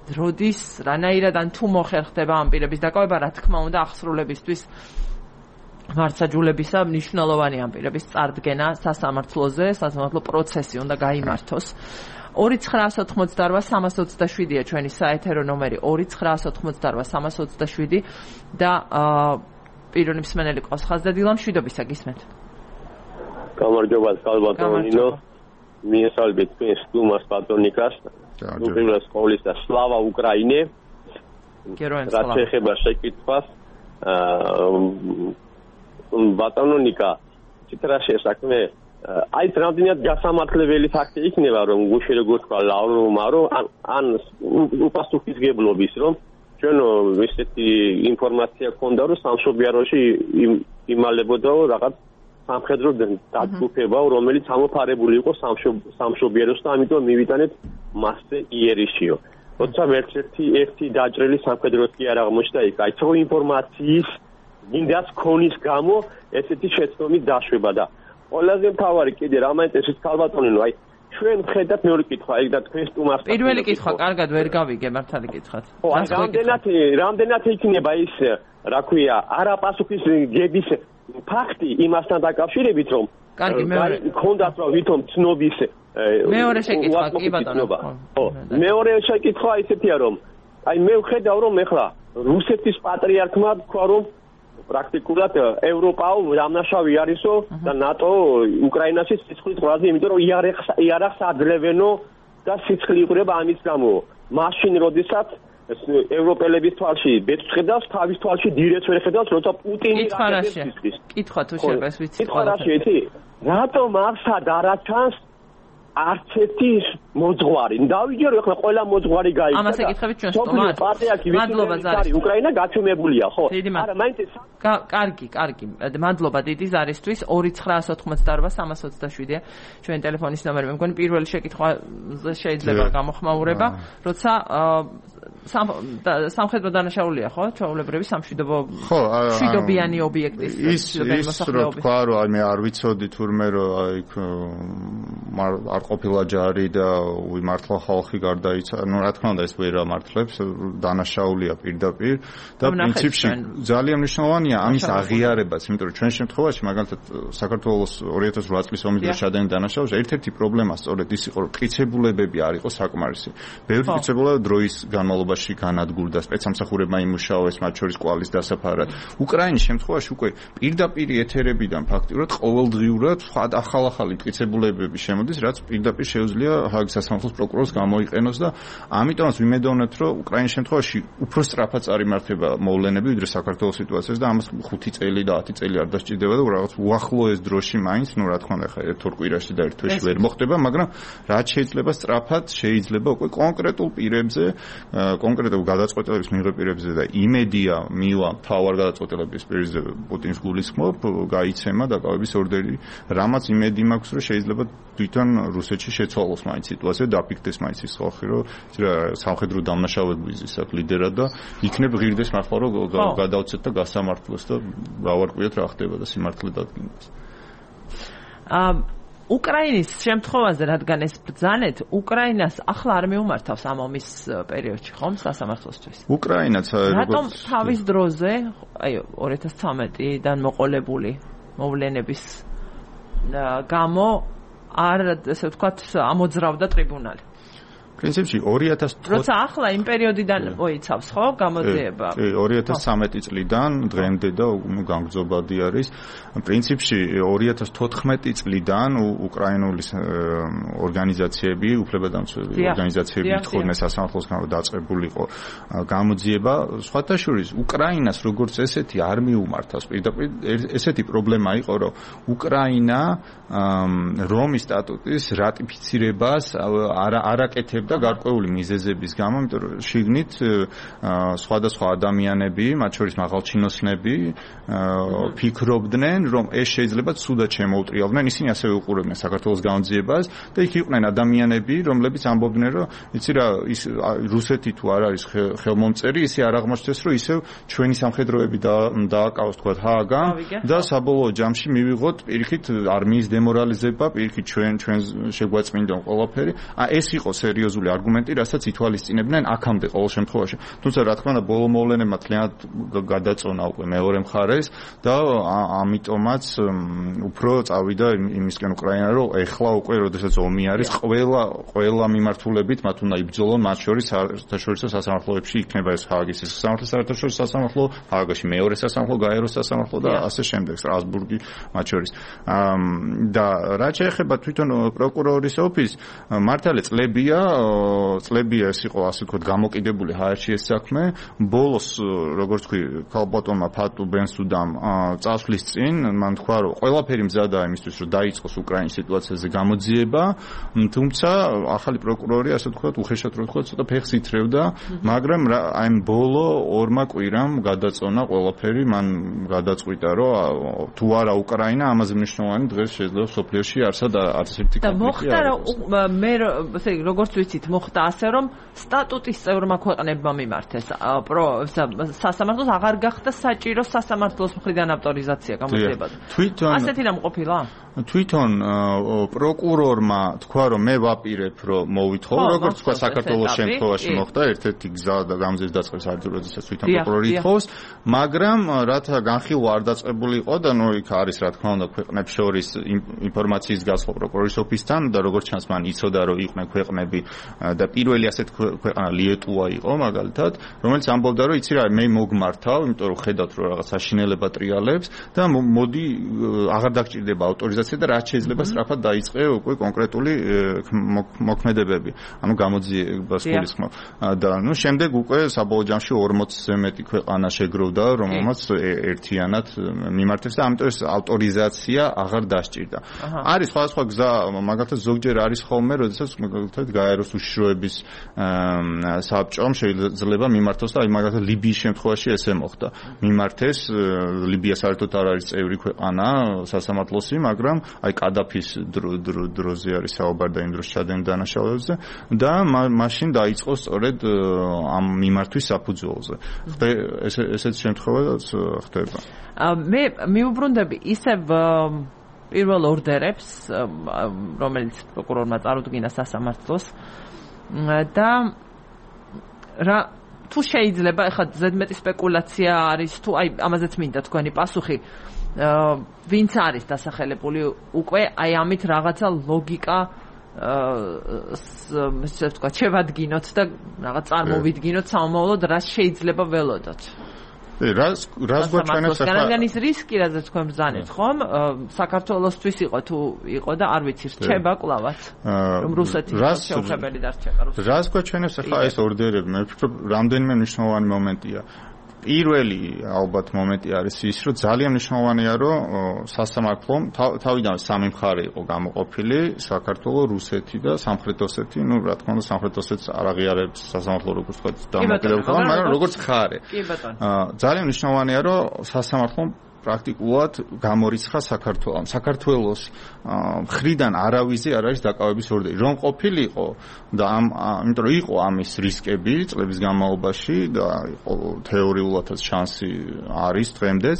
როდის რანაირად ან თუ მოხერხდება ამ პირების დაკავება, რა თქმა უნდა აღსრულებისთვის მართსაჯულებისა მნიშვნელოვანი ამ პირების წარდგენა სასამართლოზე, სასამართლო პროცესი უნდა გაიმართოს. ორი ცხრაას ოთხმოცდარვა სამას ოცდაშვიდია ჩვენი საეთერო ნომერი ორი ცხრაას ოთხმოცდარვა სამას ოცდაშვიდი და პირველი მსმენელი ყავს ხაზდადილა მშვიდობისა გისმენთ. გამარჯობა ბატონო ნინო. მიესალმებით თქვენ სტუმარს ბატონ ნიკას. უპირველეს ყოვლისა სლავა უკრაინე. გეროენ სლავა. რაც ეხება შეკითხვას ბატონო ნიკა, ციტრაში საქმე აი რამდენად გასამართლებელი ფაქტი იქნება რომ გუში როგორ თქვა ლავროვმა რომ ან უპასუხისგებლობის რომ ჩვენ ესეთი ინფორმაცია ქონდა რომ სამშობიაროში იმალებოდა რაღაც სამხედრო დაწუხება რომელიც ამოფარებული იყო სამშობიაროს და ამიტომ მივიტანეთ მასზე იერიშიო. როცა ერთ-ერთი ერთი დაჭრილი სამხედროს კი არ აღმოჩნდა იქ აი თო ინფორმაციის გინდას ქონის გამო ესეთი შეცდომით დაშვება და ყველაზე მთავარი კიდე რა მაინტერესებს ქალბატონინო აი ჩვენ ხედავთ მეორე კითხვა აი და თქვენ სტუმარს პირველი კითხვა კარგად ვერ გავიგე მართალი კითხვაც ხო აი რამდენად რამდენად იქნება ის რა ქვია არაპასუხის გების ფაქტი იმასთან დაკავშირებით რომ კარგი მეორე ქონდათ რა ვითომ ცნობის მეორე შეკითხვა კი ბატონო ხო მეორე შეკითხვა ისეთია რომ აი მე ვხედავ რომ ეხლა რუსეთის პატრიარქმა თქვა რომ პრაქტიკულად ევროპაო დამნაშავე არისო და ნატო უკრაინაში სიცხლის ყრაზე, იმიტომ რომ იარაღს იარაღს აძლევენო და სიცხლი იყრება ამის გამო. მაშინ როდესაც ევროპელების თვალში ბეჭდს ხედავს, თავის თვალში დირეც ვერ ხედავს, როცა პუტინი რაკეტებს სიცხლის. კითხვა თუ შეიძლება ეს ვიცი. კითხვა რა შეიძლება? რატომ არსად არაჩანს არც ერთი მოძღვარი. დავიჯერო ახლა ყველა მოძღვარი გაიქცა. ამას ეკითხებით ჩვენ სტუმარს. მადლობა ზარი. უკრაინა გაჩვენებულია, ხო? არა, მაინც კარგი, კარგი. მადლობა დიდი ზარისთვის. ორი ცხრაას ოთხმოცდაორ სამას ოცდაშვიდია ჩვენ ტელეფონის ნომერი. მე მგონი პირველი შეკითხვა შეიძლება გამოხმაურება, როცა სამხედრო დანაშაულია, ხო? ჩვეულებრივი სამშვიდობო მშვიდობიანი ობიექტის მოსახლეობის. ის თქვა რომ მე არ ვიცოდი თურმე რომ აი არ ყოფილა ჯარი და უიმართლა ხალხი გარდაიცა. ნუ რა თქმა უნდა ეს ვერ ამართლებს, დანაშაულია პირდაპირ და პრინციპში ძალიან მნიშვნელოვანია ამის აღიარებაც, იმიტომ რომ ჩვენ შემთხვევაში მაგალითად საქართველოს ორი ათას ოთხ წლის ომის დროს შადენი დანაშაულში ერთ-ერთი პრობლემა სწორედ ის იყო, რომ მტკიცებულებები არ იყო საკმარისი. ბევრი მტკიცებულება დროის განმავლობაში განადგურდა, სპეცსამსახურებმა იმუშაოეს, მათ შორის კვალის დასაფარად. უკრაინის შემთხვევაში უკვე პირდაპირ ეთერებიდან ფაქტიურად ყოველდღიურად ახალ-ახალი მტკიცებულებები შემოდის, რაც პირდაპირ შეუძლია ჰააგის სასამართლოს პროკურორს გამოიყენოს და ამიტომაც ვიმედოვნებთ, რომ უკრაინის შემთხვევაში უფრო სწრაფად წარიმართება მოვლენები, ვიდრე საქართველოს სიტუაციას და ამას ხუთი წელი და ათი წელი არ დასჭირდება და რაღაც უახლოეს დროში მაინც, ნუ რა თქმა უნდა, ხა ერთ-ორ კვირაში და ერთ თვეში ვერ მოხდება, მაგრამ რაც შეიძლება სწრაფად შეიძლება უკვე კონკრეტულ პირებზე, კონკრეტულ გადაწყვეტილების მიღების პირებზე და იმედია მივა მთავარ გადაწყვეტილების პირზე პუტინს გულისხმობ, გაიცემა დაკავების ორდერი, რამაც იმედი მაქვს, რომ შეიძლება თვითონ რუსეთში შეცვალოს მაინც სიტუაცია, დაფიქდეს მაინც ის ხალხი, რომ სამხედრო დამნაშავების ისეთ ლიდერად და იქნებ ღირდეს მართლა რომ გადავცეთ და გასამართლოს და გავარკვიოთ რა ხდება და სიმართლე დადგინდეს. აა უკრაინის შემთხვევაზე რადგან ეს ბრძანეთ, უკრაინას ახლა არ მიუმართავს ამ ომის პერიოდში, ხომ, სასამართლოსთვის? უკრაინაც რატომ თავის დროზე, აი ორი ათას ცხრამეტიდან მოყოლებული მოვლენების გამო არ, ესე ვთქვათ, ამოძრავდა ტრიბუნალი? პრინციპში ორი ათას როცა ახლა იმ პერიოდიდან მოიცავს, ხო, გამოძიება? კი, ორი ათას სამეტი წლიდან დღემდე და განგრძობადი არის. პრინციპში ორი ათას თოთხმეტი წლიდან უკრაინული ორგანიზაციები, უფლებადამცველი ორგანიზაციები ითხოვდნენ სასამართლოსგან, რომ დაწყებულიყო გამოძიება. სხვათა შორის უკრაინას როგორც ესეთი არ მიუმართავს. პირდაპირ ესეთი პრობლემა იყო, რომ უკრაინა რომის სტატუტის რატიფიცირებას არ არაკეთებდა გარკვეული მიზეზების გამო, იმიტომ რომ შიგნით სხვადასხვა ადამიანები, მათ შორის მაღალჩინოსნები ფიქრობდნენ, რომ ეს შეიძლება ცუდად შემოუტრიალდნენ, ისინი ასევე უყურებდნენ საქართველოს გამოძიებას და იქ იყვნენ ადამიანები, რომლებიც ამბობდნენ, რომ იცი რა, ის რუსეთი თუ არ არის ხელმომწერი, ისე არ აღმოჩნდეს, რომ ისევ ჩვენი სამხედროები დააკავოს თქვა ჰააგან და საბოლოო ჯამში მივიღოთ პირიქით არმიის დემორალიზება, პირიქით ჩვენ ჩვენ შეგვაწმინდონ ყველაფერი. ეს იყო სერიოზული არგუმენტი, რასაც ითვალისწინებდნენ აქამდე ყოველ შემთხვევაში. თუმცა რა თქმა უნდა, ბოლო მოვლენებმა თლიანად გადაწონა უკვე მეორე მხარეს და ამიტომაც უფრო წავიდა იმისკენ უკრაინა, რომ ეხლა უკვე როდესაც ომი არის, ყველა ყველა მიმართულებით მათ უნდა იბრძოლონ, მათ შორის საერთაშორისო სასამართლოებში იქნება ეს ჰააგის სასამართლო, საერთაშორისო სასამართლო, ჰააგაში მეორე სასამართლო, გაეროს სასამართლო და ასე შემდეგ, სტრასბურგი მათ შორის. და რაც შეეხება თვითონ პროკურორის ოფისს, მართალია წლებია წლებია ეს იყო ასე ვთქვათ გამოკიდებული ჰაერში ეს საქმე. ბოლოს როგორც თქვი ქალბატონმა ფატუ ბენსუდამ წასვლის წინ მან თქვა რომ ყველაფერი მზადაა იმისთვის რომ დაიწყოს უკრაინის სიტუაციაზე გამოძიება, თუმცა ახალი პროკურორი ასე ვთქვათ უხეშად რო ვთქვათ ცოტა ფეხს ითრევდა, მაგრამ აი ბოლო ორმა კვირამ გადაწონა ყველაფერი, მან გადაწყვიტა რომ თუ არა უკრაინა ამაზე მნიშვნელოვანი დღეს შეიძლება სოფლიოში არსად არც ერთი კონფლიქტი. და მოხდა რომ მე ესე როგორც ვიცით მოხდა ასე რომ სტატუტის წევრმა ქვეყნებმა მიმართეს სასამართლოს აღარ გახდა საჭირო სასამართლოს მხრიდან ავტორიზაცია გამოძიებაზე. ასეთი რამ ყოფილა? თვითონ პროკურორმა თქვა რომ მე ვაპირებ რომ მოვითხოვო, როგორც თქვა საქართველოს შემთხვევაში მოხდა, ერთ-ერთი გზა და გამზის დაწყების არის როდესაც თვითონ პროკურორი ითხოვს, მაგრამ რათა განხილვა არ დაწყებული იყო და ნუ იქ არის რა თქმა უნდა ქვეყნებს შორის ინფორმაციის გასხვა პროკურორის ოფისთან და როგორც ჩანს მან იცოდა რომ იყვნენ ქვეყნები და პირველი ასეთ ქვეყანა ლიეტუვა იყო მაგალითად, რომელიც ამბობდა, რომ იცი რა, მე მოგმართავ, იმიტომ რომ ხედავთ, რომ რაღაც საშინელება ტრიალებს და მოდი აღარ დაგჭირდება ავტორიზაცია და რაც შეიძლება სწრაფად დაიწყე უკვე კონკრეტული მოქმედებები. ანუ გამოძიებას გულისხმობ. და ნუ შემდეგ უკვე საბოლოო ჯამში ორმოცზე მეტი ქვეყანა შეგროვდა, რომელმაც ერთიანად მიმართებს და ამიტომ ეს ავტორიზაცია აღარ დასჭირდა. არის სხვადასხვა გზა, მაგალითად ზოგჯერ არის ხოლმე, როდესაც მაგალითად გაეროს უშიშროების საბჭომ შეიძლება მიმართოს და აი მაგალითად ლიბიის შემთხვევაში ესე მოხდა. მიმართეს ლიბია საერთოდ არ არის წევრი ქვეყანა სასამართლოსი, მაგრამ აი კადაფის დროზე არის საუბარი და იმ დროს ჩადენ დანაშაულებებზე და მაშინ დაიწყო სწორედ ამ მიმართვის საფუძველზე. ესეც შემთხვევაც ხდება. მე მიუბრუნდები ისევ პირველ ორდერებს, რომელიც პროკურორმა წარუდგინა სასამართლოს და რა თუ შეიძლება ეხლა ზედმეტი სპეკულაცია არის თუ აი ამაზეც მინდა თქვენი პასუხი ვინც არის დასახელებული უკვე აი ამით რაღაცა ლოგიკა ესე ვთქვა შევადგინოთ და რაღაც წარმოვიდგინოთ სამომავლოდ რა შეიძლება ველოდოთ. რას რას გვაჩვენებს ახლა განაგანის რისკი რაზეც თქვენ ბრძანეთ ხომ საქართველოსთვის იყო თუ იყო და არ ვიცი რჩება კლავაც რომ რუსეთი შეუხებელი დარჩება რუსეთი რას გვაჩვენებს ახლა ეს ორდერები მე ვფიქრობ რამდენიმე მნიშვნელოვანი მომენტია პირველი ალბათ მომენტი არის ის რომ ძალიან მნიშვნელოვანია რომ სასამართლომ თავიდან სამი მხარე იყო გამოყოფილი საქართველოს რუსეთი და სამხრეთ ოსეთი ну რა თქმა უნდა სამხრეთ ოსეთს არ აღიარებს სასამართლო როგორც თქვა დამოკიდებულება მაგრამ როგორც მხარე ძალიან მნიშვნელოვანია რომ სასამართლომ პრაქტიკულად გამორიცხა საქართველოს საქართველოს მხრიდან არავიზე არ არის დაკავების ორდერი რომ ყოფილიყო და ამ იმიტომ რომ იყო ამის რისკები წლების განმავლობაში და იყო თეორიულადაც შანსი არის დღემდეც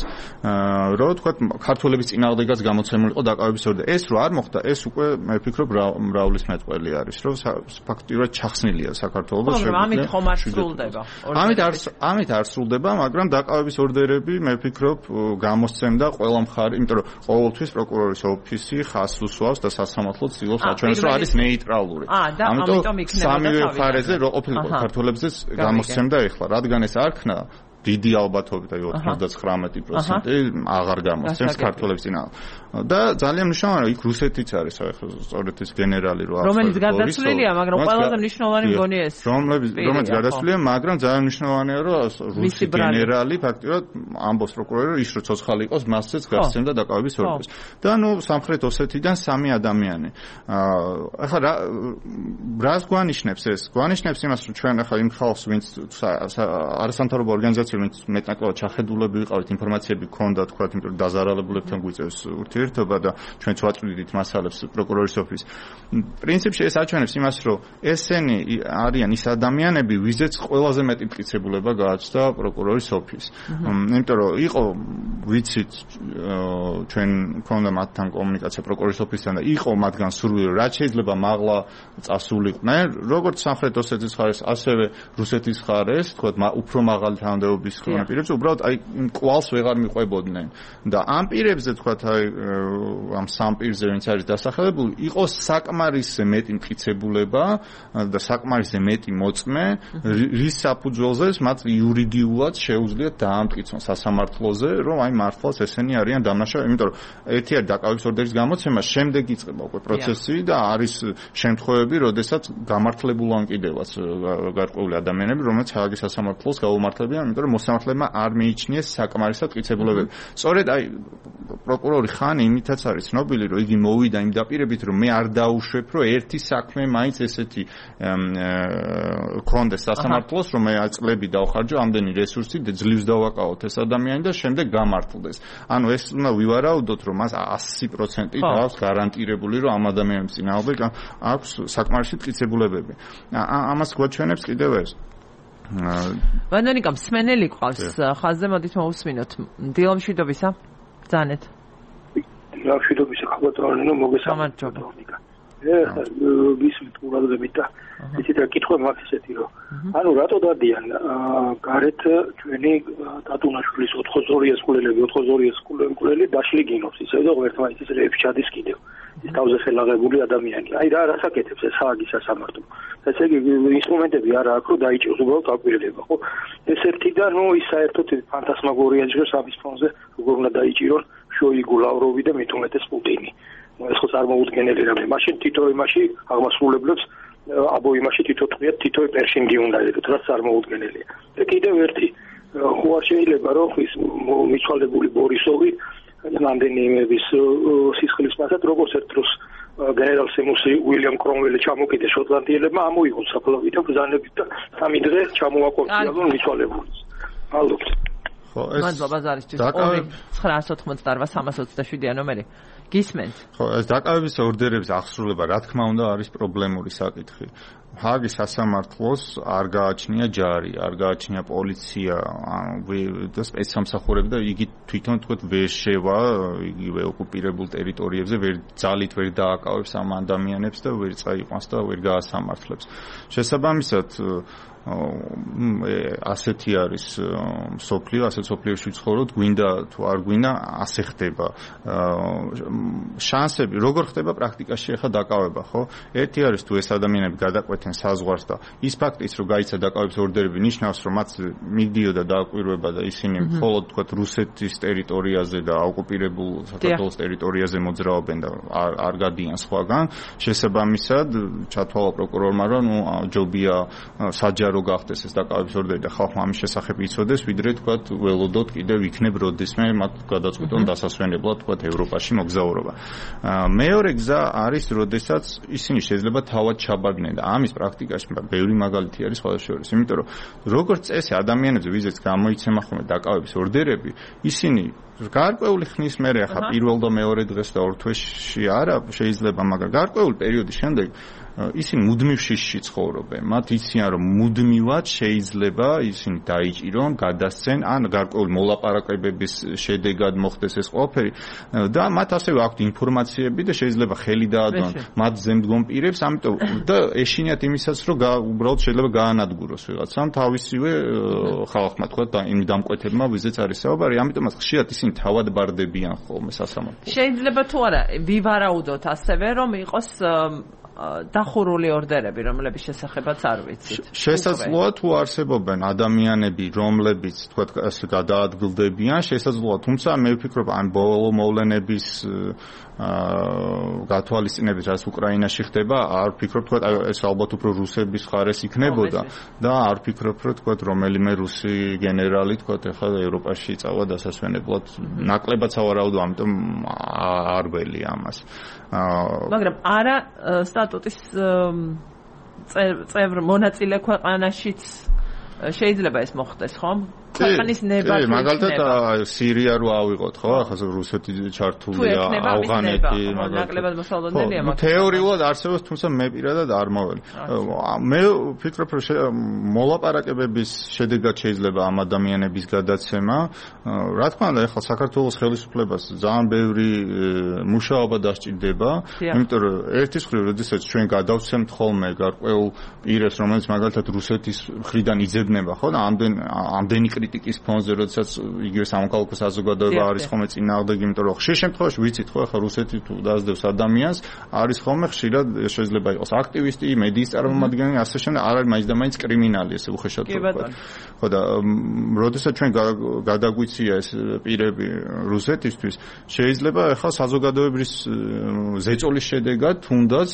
რომ თქვა ქართველების წინააღმდეგაც გამოცემული იყო დაკავების ორდერი ეს რო არ მოხდა ეს უკვე მე ვფიქრობ მრავლის მეტყველი არის რომ ფაქტიურად ჩახსნილია საქართველოს ამით ხომ არ სრულდება ამით არ ამით არ სრულდება მაგრამ დაკავების ორდერები მე ვფიქრობ გამოსცემდა ყველა მხარე, იმიტომ რომ ყოველთვის პროკურორის ოფისი ხაზს უსვავს და სასამართლო ცდილობს აჩვენოს, რომ არის ნეიტრალური. ამიტომ სამივე მხარეზე რო ყოფილიყო ქართველებზეც გამოსცემდა ეხლა, რადგან ეს არ ქნა დიდი ალბათობით აი ოცდათხრამეტი პროცენტი აღარ გამოსცემს ქართველებს წინააღმდეგ. და ძალიან მნიშვნელოვანია იქ რუსეთიც არის ახლა სწორედ ეს გენერალი რო რომელიც გადაცვლილია მაგრამ ყველაზე მნიშვნელოვანი მგონია ეს რომელიც გადაცვლილია მაგრამ ძალიან მნიშვნელოვანია რომ რუსი გენერალი ფაქტიურად ამბობს პროკურორი რომ ის რო ცოცხალი იყოს მასზეც გასცემდა დაკავების ორდერს და ნუ სამხრეთ ოსეთიდან სამი ადამიანი ახლა რა რას გვანიშნებს ეს გვანიშნებს იმას რომ ჩვენ ახლა იმ ხალხს ვინც არასამთავრობო ორგანიზაცია ვინც მეტნაკლებად ჩახედულები ვიყავით ინფორმაციები გქონდა თქვა იმიტომ რომ დაზარალებულებთან გვიწევს ურთიერთობა და ჩვენც ვაწვდით მასალებს პროკურორის ოფისს. პრინციპში ეს აჩვენებს იმას, რომ ესენი არიან ის ადამიანები, ვიზეც ყველაზე მეტი მტკიცებულება გააჩნდა პროკურორის ოფისს. იმიტომ რომ იყო ვიცით ჩვენ მქონდა მათთან კომუნიკაცია პროკურორის ოფისთან და იყო მათგან სურვილი, რაც შეიძლება მაღლა წასულიყვნენ, როგორც სამხრეთ ოსეთის მხარეს, ასევე რუსეთის მხარეს, თქვა უფრო მაღალი თანამდებობის პირებს, უბრალოდ აი კვალს ვეღარ მიყვებოდნენ. და ამ პირებზე თქვა აი ამ სამ პირზე ვინც არის დასახელებული, იყო საკმარისზე მეტი მტკიცებულება და საკმარისზე მეტი მოწმე, რის საფუძველზე მათ იურიდიულად შეუძლიათ დაამტკიცონ სასამართლოზე, რომ აი მართლაც ესენი არიან დამნაშავე, იმიტომ რომ ერთი არის დაკავების ორდერის გამოცემა, შემდეგ იწყება უკვე პროცესი და არის შემთხვევები, როდესაც გამართლებულან კიდევაც გარკვეული ადამიანები, რომელიც ჰააგის სასამართლოს გაუმართლებიან, იმიტომ რომ მოსამართლებმა არ მიიჩნიეს საკმარისად მტკიცებულებები. სწორედ აი პროკურორი ხანი იმითაც არის ცნობილი, რომ იგი მოვიდა იმ დაპირებით, რომ მე არ დაუშვებ, რომ ერთი საქმე მაინც ესეთი ქონდეს სასამართლოს, რომ მე წლები დავხარჯო ამდენი რესურსი და ძლივს დავაკავოთ ეს ადამიანი და შემდეგ გამართლდეს. ანუ ეს უნდა ვივარაუდოთ, რომ მას ასი პროცენტი აქვს გარანტირებული, რომ ამ ადამიანის წინააღმდეგ აქვს საკმარისი მტკიცებულებები. ამას გვაჩვენებს კიდევ ეს. ვანდონიკა მსმენელი ყავს ხაზზე, მოდით მოусმინოთ. დილომშვიდობისა. ბრძანეთ. დილომშვიდობისა ხალხო, მოგესალმებით. გისმით ყურადღებით და ისეთ რა კითხვა მაქვს ესეთი რომ ანუ რატო დადიან გარეთ ჩვენი დატუნაშვილის ოთხმოცდაორი სკოლელები ოთხმოცდაორი სკოლელი დაშლიგინობს ისე და ღმერთმა ის რეებში ჩადის კიდევ ის თავზე ხელაღებული ადამიანი აი რა რასაკეთებს ეს სააგის სასამართლო ესე იგი ინსტრუმენტები არა აქვს რომ დაიჭიროს უბრალოდ აკვირდება ხო ეს ერთი და ნუ ის საერთოდ ფანტასმაგორია ჯერ სამის ფონზე როგორ უნდა დაიჭირონ შოიგუ ლავროვი და მით უმეტეს პუტინი ეს ხო წარმოუდგენელი რამე მაშინ თითო იმაში აღმასრულებლებს აბო იმაში თითო თვიათ თითო პერშინგი უნდა ეროთ რაც წარმოუდგენელია და კიდევ ერთი ხო არ შეიძლება რომ ის მიცვალებული ბორისოვი რამდენიმეების სისხლის მასად როგორც ერთ დროს გენერალ სემუსი უილიამ კრომველი ჩამოკიდეს შოტლანდიელებმა ამოიღონ საფლავი და ბრძანებით და სამი დღე ჩამოაკორწიონ მიცვალებულს ალბათ ხო ეს მადლობა ზარისთვის ორი ცხრაას ოთხმოცდაოთხ სამას ოცდაშვიდი ნომერი გისმენთ ხო ეს დაკავების ორდერების აღსრულება რა თქმა უნდა არის პრობლემური საკითხი ჰაგის სასამართლოს არ გააჩნია ჯარი, არ გააჩნია პოლიცია, ანუ და სპეცსამსახურები და იგი თვითონ თქვათ ვერ შევა იგივე ოკუპირებულ ტერიტორიებზე, ვერ ძალით ვერ დააკავებს ამ ადამიანებს და ვერ წაიყვანს და ვერ გაასამართლებს. შესაბამისად ასეთი არის სოფლიო, ასეთ სოფლიოში ვცხოვრობთ, გვინდა თუ არ გვინდა, ასე ხდება. შანსები, როგორ ხდება პრაქტიკაში ახლა დაკავება, ხო? ერთი არის თუ ეს ადამიანები გადაყვეთენ საზღვარს და ის ფაქტიც, რომ გაიცა დაკავების ორდერები, ნიშნავს, რომ მათ მიდიოდა დააკვირვება და ისინი მხოლოდ თქვათ რუსეთის ტერიტორიაზე და ოკუპირებულ საქართველოს ტერიტორიაზე მოძრაობენ და არ გადიან სხვაგან. შესაბამისად, ჩათვალა პროკურორმა, რომ ნუ ჯობია საჯარო რო გახდეს ეს დაკავების ორდერი და ხალხმა ამის შესახებ იცოდეს, ვიდრე თქვათ ველოდოთ კიდევ იქნებ როდესმე მათ გადაწყვიტონ დასასვენებლად თქვათ ევროპაში მოგზაურობა. მეორე გზა არის, როდესაც ისინი შეიძლება თავად ჩაბარგნენ და ამის პრაქტიკაში ბევრი მაგალითი არის სხვადასხვა შორის, იმიტომ რომ როგორც წესი ადამიანებზე ვიზეც გამოიცემა ხოლმე დაკავების ორდერები, ისინი გარკვეული ხნის მერე ახლა პირველ და მეორე დღეს და ორ თვეში არა შეიძლება, მაგრამ გარკვეული პერიოდის შემდეგ ისინი მუდმივ შიშში ცხოვრობენ. მათ იციან, რომ მუდმივად შეიძლება ისინი დაიჭირონ, გადასცენ, ან გარკვეული მოლაპარაკებების შედეგად მოხდეს ეს ყველაფერი და მათ ასევე აქვთ ინფორმაციები და შეიძლება ხელი დაადონ მათ ზემდგომ პირებს, ამიტომ და ეშინიათ იმისაც, რომ უბრალოდ შეიძლება გაანადგუროს ვიღაცამ თავისივე ხალხმა თქვა და იმ დამკვეთებმა ვიზეც არის საუბარი, ამიტომაც ხშირად ისინი თავად ბარდებიან ხოლმე სასამართლოში. შეიძლება თუ არა ვივარაუდოთ ასევე, რომ იყოს დახურული ორდერები, რომლების შესახებაც არ ვიცით. შესაძლოა თუ არსებობენ ადამიანები, რომლებიც თქვათ ასე გადაადგილდებიან, შესაძლოა, თუმცა მე ვფიქრობ ამ ბოლო მოვლენების გათვალისწინებით, რაც უკრაინაში ხდება, არ ვფიქრობ, თქვათ ეს ალბათ უფრო რუსების ხარეს იქნებოდა და არ ვფიქრობ, რომ თქვათ რომელიმე რუსი გენერალი თქვათ ახლა ევროპაში წავა დასასვენებლად. ნაკლებად სავარაუდო, ამიტომ არ ველი ამას. მაგრამ არა სტატუტის წევრ მონაწილე ქვეყანაშიც შეიძლება ეს მოხდეს, ხომ? ქვეყნის ნება თუ მაგალითად სირია რო ავიღოთ, ხო? ახლა რუსეთი ჩართულია, ავღანეთი, მაგალითად ნაკლებად მოსალოდნელია მაგალითად. თეორიულად არსებობს, თუმცა მე პირადად არ მოველი. მე ვფიქრობ, რომ მოლაპარაკებების შედეგად შეიძლება ამ ადამიანების გადაცემა. რა თქმა უნდა, ახლა საქართველოს ხელისუფლებას ძალიან ბევრი მუშაობა დასჭირდება, იმიტომ რომ ერთის მხრივ, როდესაც ჩვენ გადავცემთ ხოლმე გარკვეულ პირებს, რომელიც მაგალითად რუსეთის მხრიდან იძებნება, ხო? და ამდენ ამდენი კრიტიკის ფონზე, როდესაც იგივე სამოქალაქო საზოგადოება არის ხოლმე წინააღმდეგ, იმიტომ რომ ხშირ შემთხვევაში ვიცით, ხო, ახლა რუსეთი თუ დაასდევს ადამიანს, არის ხოლმე ხშირად შეიძლება იყოს აქტივისტი, მედიის წარმომადგენელი, ასე შემდეგ, არ არის მაინც და მაინც კრიმინალი, ესე უხეშად ვთქვათ. ხო და როდესაც ჩვენ გადაგვიცია ეს პირები რუსეთისთვის, შეიძლება ახლა საზოგადოების ზეწოლის შედეგად თუნდაც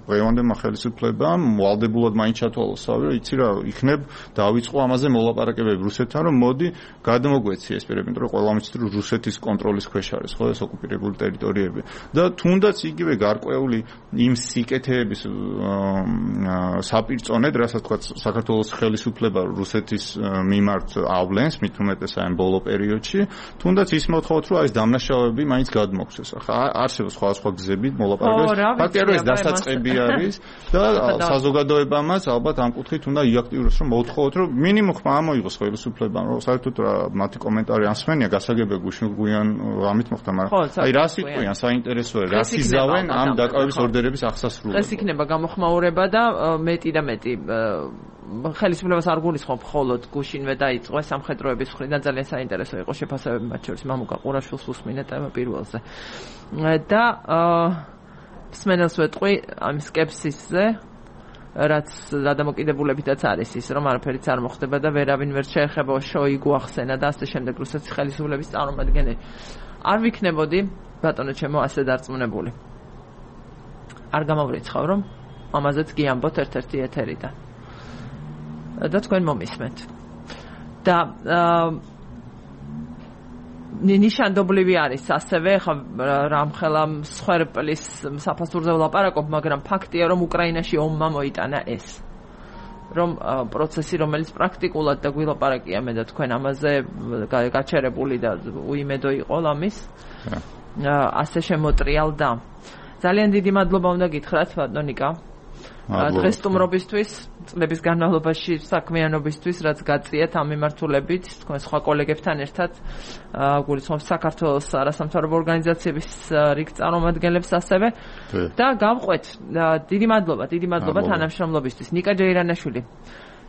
დღევანდელმა ხელისუფლებამ ვალდებულად მაინც ჩათვალოს თავი, რომ იცი რა, იქნებ დავიწყო ამაზე მოლაპარაკებები რუსეთთან, რომ მოდი გადმოგვეცი ეს პირები, იმიტომ რომ ყველამ იცით, რომ რუსეთის კონტროლის ქვეშ არის, ხო, ეს ოკუპირებული ტერიტორიები. და თუნდაც იგივე გარკვეული იმ სიკეთეების საპირწონედ, რასაც თქვა საქართველოს ხელისუფლება რუსეთის მიმართ ავლენს, მით უმეტეს ამ ბოლო პერიოდში, თუნდაც ის მოთხოვთ, რომ ეს დამნაშავეები მაინც გადმოგცეს. ახლა არსებობს სხვადასხვა გზები მოლაპარაკების. ფაქტია, რომ ეს დასაწყები არის და საზოგადოებამაც ალბათ ამ კუთხით უნდა იაქტიუროს, რომ მოთხოვთ, რომ მინიმუმ ხმა ამოიღოს ხელისუფლებამ საერთოდ მათი კომენტარი ასმენია გასაგებია გუშინ გვიან ამით მოხდა, მაგრამ აი რას იყვიან საინტერესოა, რას იზავენ ამ დაკავების ორდერების აღსასრულებლად. ეს იქნება გამოხმაურება და მეტი და მეტი ხელისუფლებას არ გულისხმობ მხოლოდ გუშინვე დაიწყო სამხედროების მხრიდან ძალიან საინტერესო იყო შეფასებები მათ შორის მამუკა ყურაშვილს უსმინეთ ამ პირველზე. და სმენელს ვეტყვი ამ სკეპსისზე რაც გადამოკიდებულებითაც არის ის რომ არაფერიც არ მოხდება და ვერავინ ვერ შეეხება შოიგუ ახსენა და ასე შემდეგ რუსეთის ხელისუფლების წარმომადგენელი არ ვიქნებოდი ბატონო ჩემო ასე დარწმუნებული არ გამავრიცხავ რომ ამაზეც გიამბოთ ერთ-ერთი ეთერიდან და თქვენ მომისმენთ და ნიშანდობლივი არის ასევე ხა რამხელა მსხვერპლის საფასურზე ვლაპარაკობ, მაგრამ ფაქტია რომ უკრაინაში ომმა მოიტანა ეს. რომ პროცესი რომელიც პრაქტიკულად და გვილაპარაკია მე და თქვენ ამაზე გაჩერებული და უიმედო იყო ლამის. ასე შემოტრიალდა. ძალიან დიდი მადლობა უნდა გითხრათ ბატონიკა. დღეს სტუმრობისთვის, წლების განმავლობაში საქმიანობისთვის, რაც გაწიეთ ამ მიმართულებით, თქვენ სხვა კოლეგებთან ერთად, გულისხმობ საქართველოს არასამთავრობო ორგანიზაციების რიგ წარმომადგენლებს ასევე და გავყვეთ. დიდი მადლობა, დიდი მადლობა თანამშრომლობისთვის. ნიკა ჯეირანაშვილი,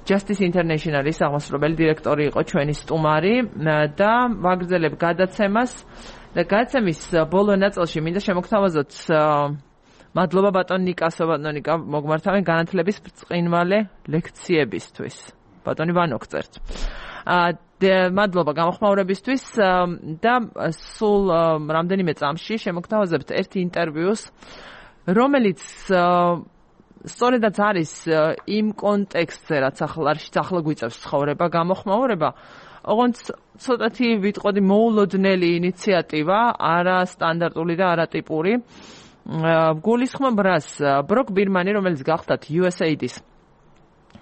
Justice International-ის აღმასრულებელი დირექტორი იყო ჩვენი სტუმარი და ვაგრძელებ გადაცემას და გადაცემის ბოლო ნაწილში მინდა შემოგთავაზოთ მადლობა ბატონ ნიკასო ბატონიკა მოგმართავენ განათლების ბრწყინვალე ლექციებისთვის. ბატონი ვანოგწერთ. აა მადლობა გამოხმაურებისთვის და სულ რამდენიმე წამში შემოგთავაზებთ ერთი ინტერვიუს, რომელიც სწორედაც არის იმ კონტექსტზე, რაც ახლა ახლა გვიწევს ცხოვრება, გამოხმაურება, ოღონდ ცოტათი ვიტყოდი მოულოდნელი ინიციატივა, არა სტანდარტული და არა ტიპური. გულისხმობ რას ბროკ ბირმანი რომელიც გახდათ იუ ეს ეი-ის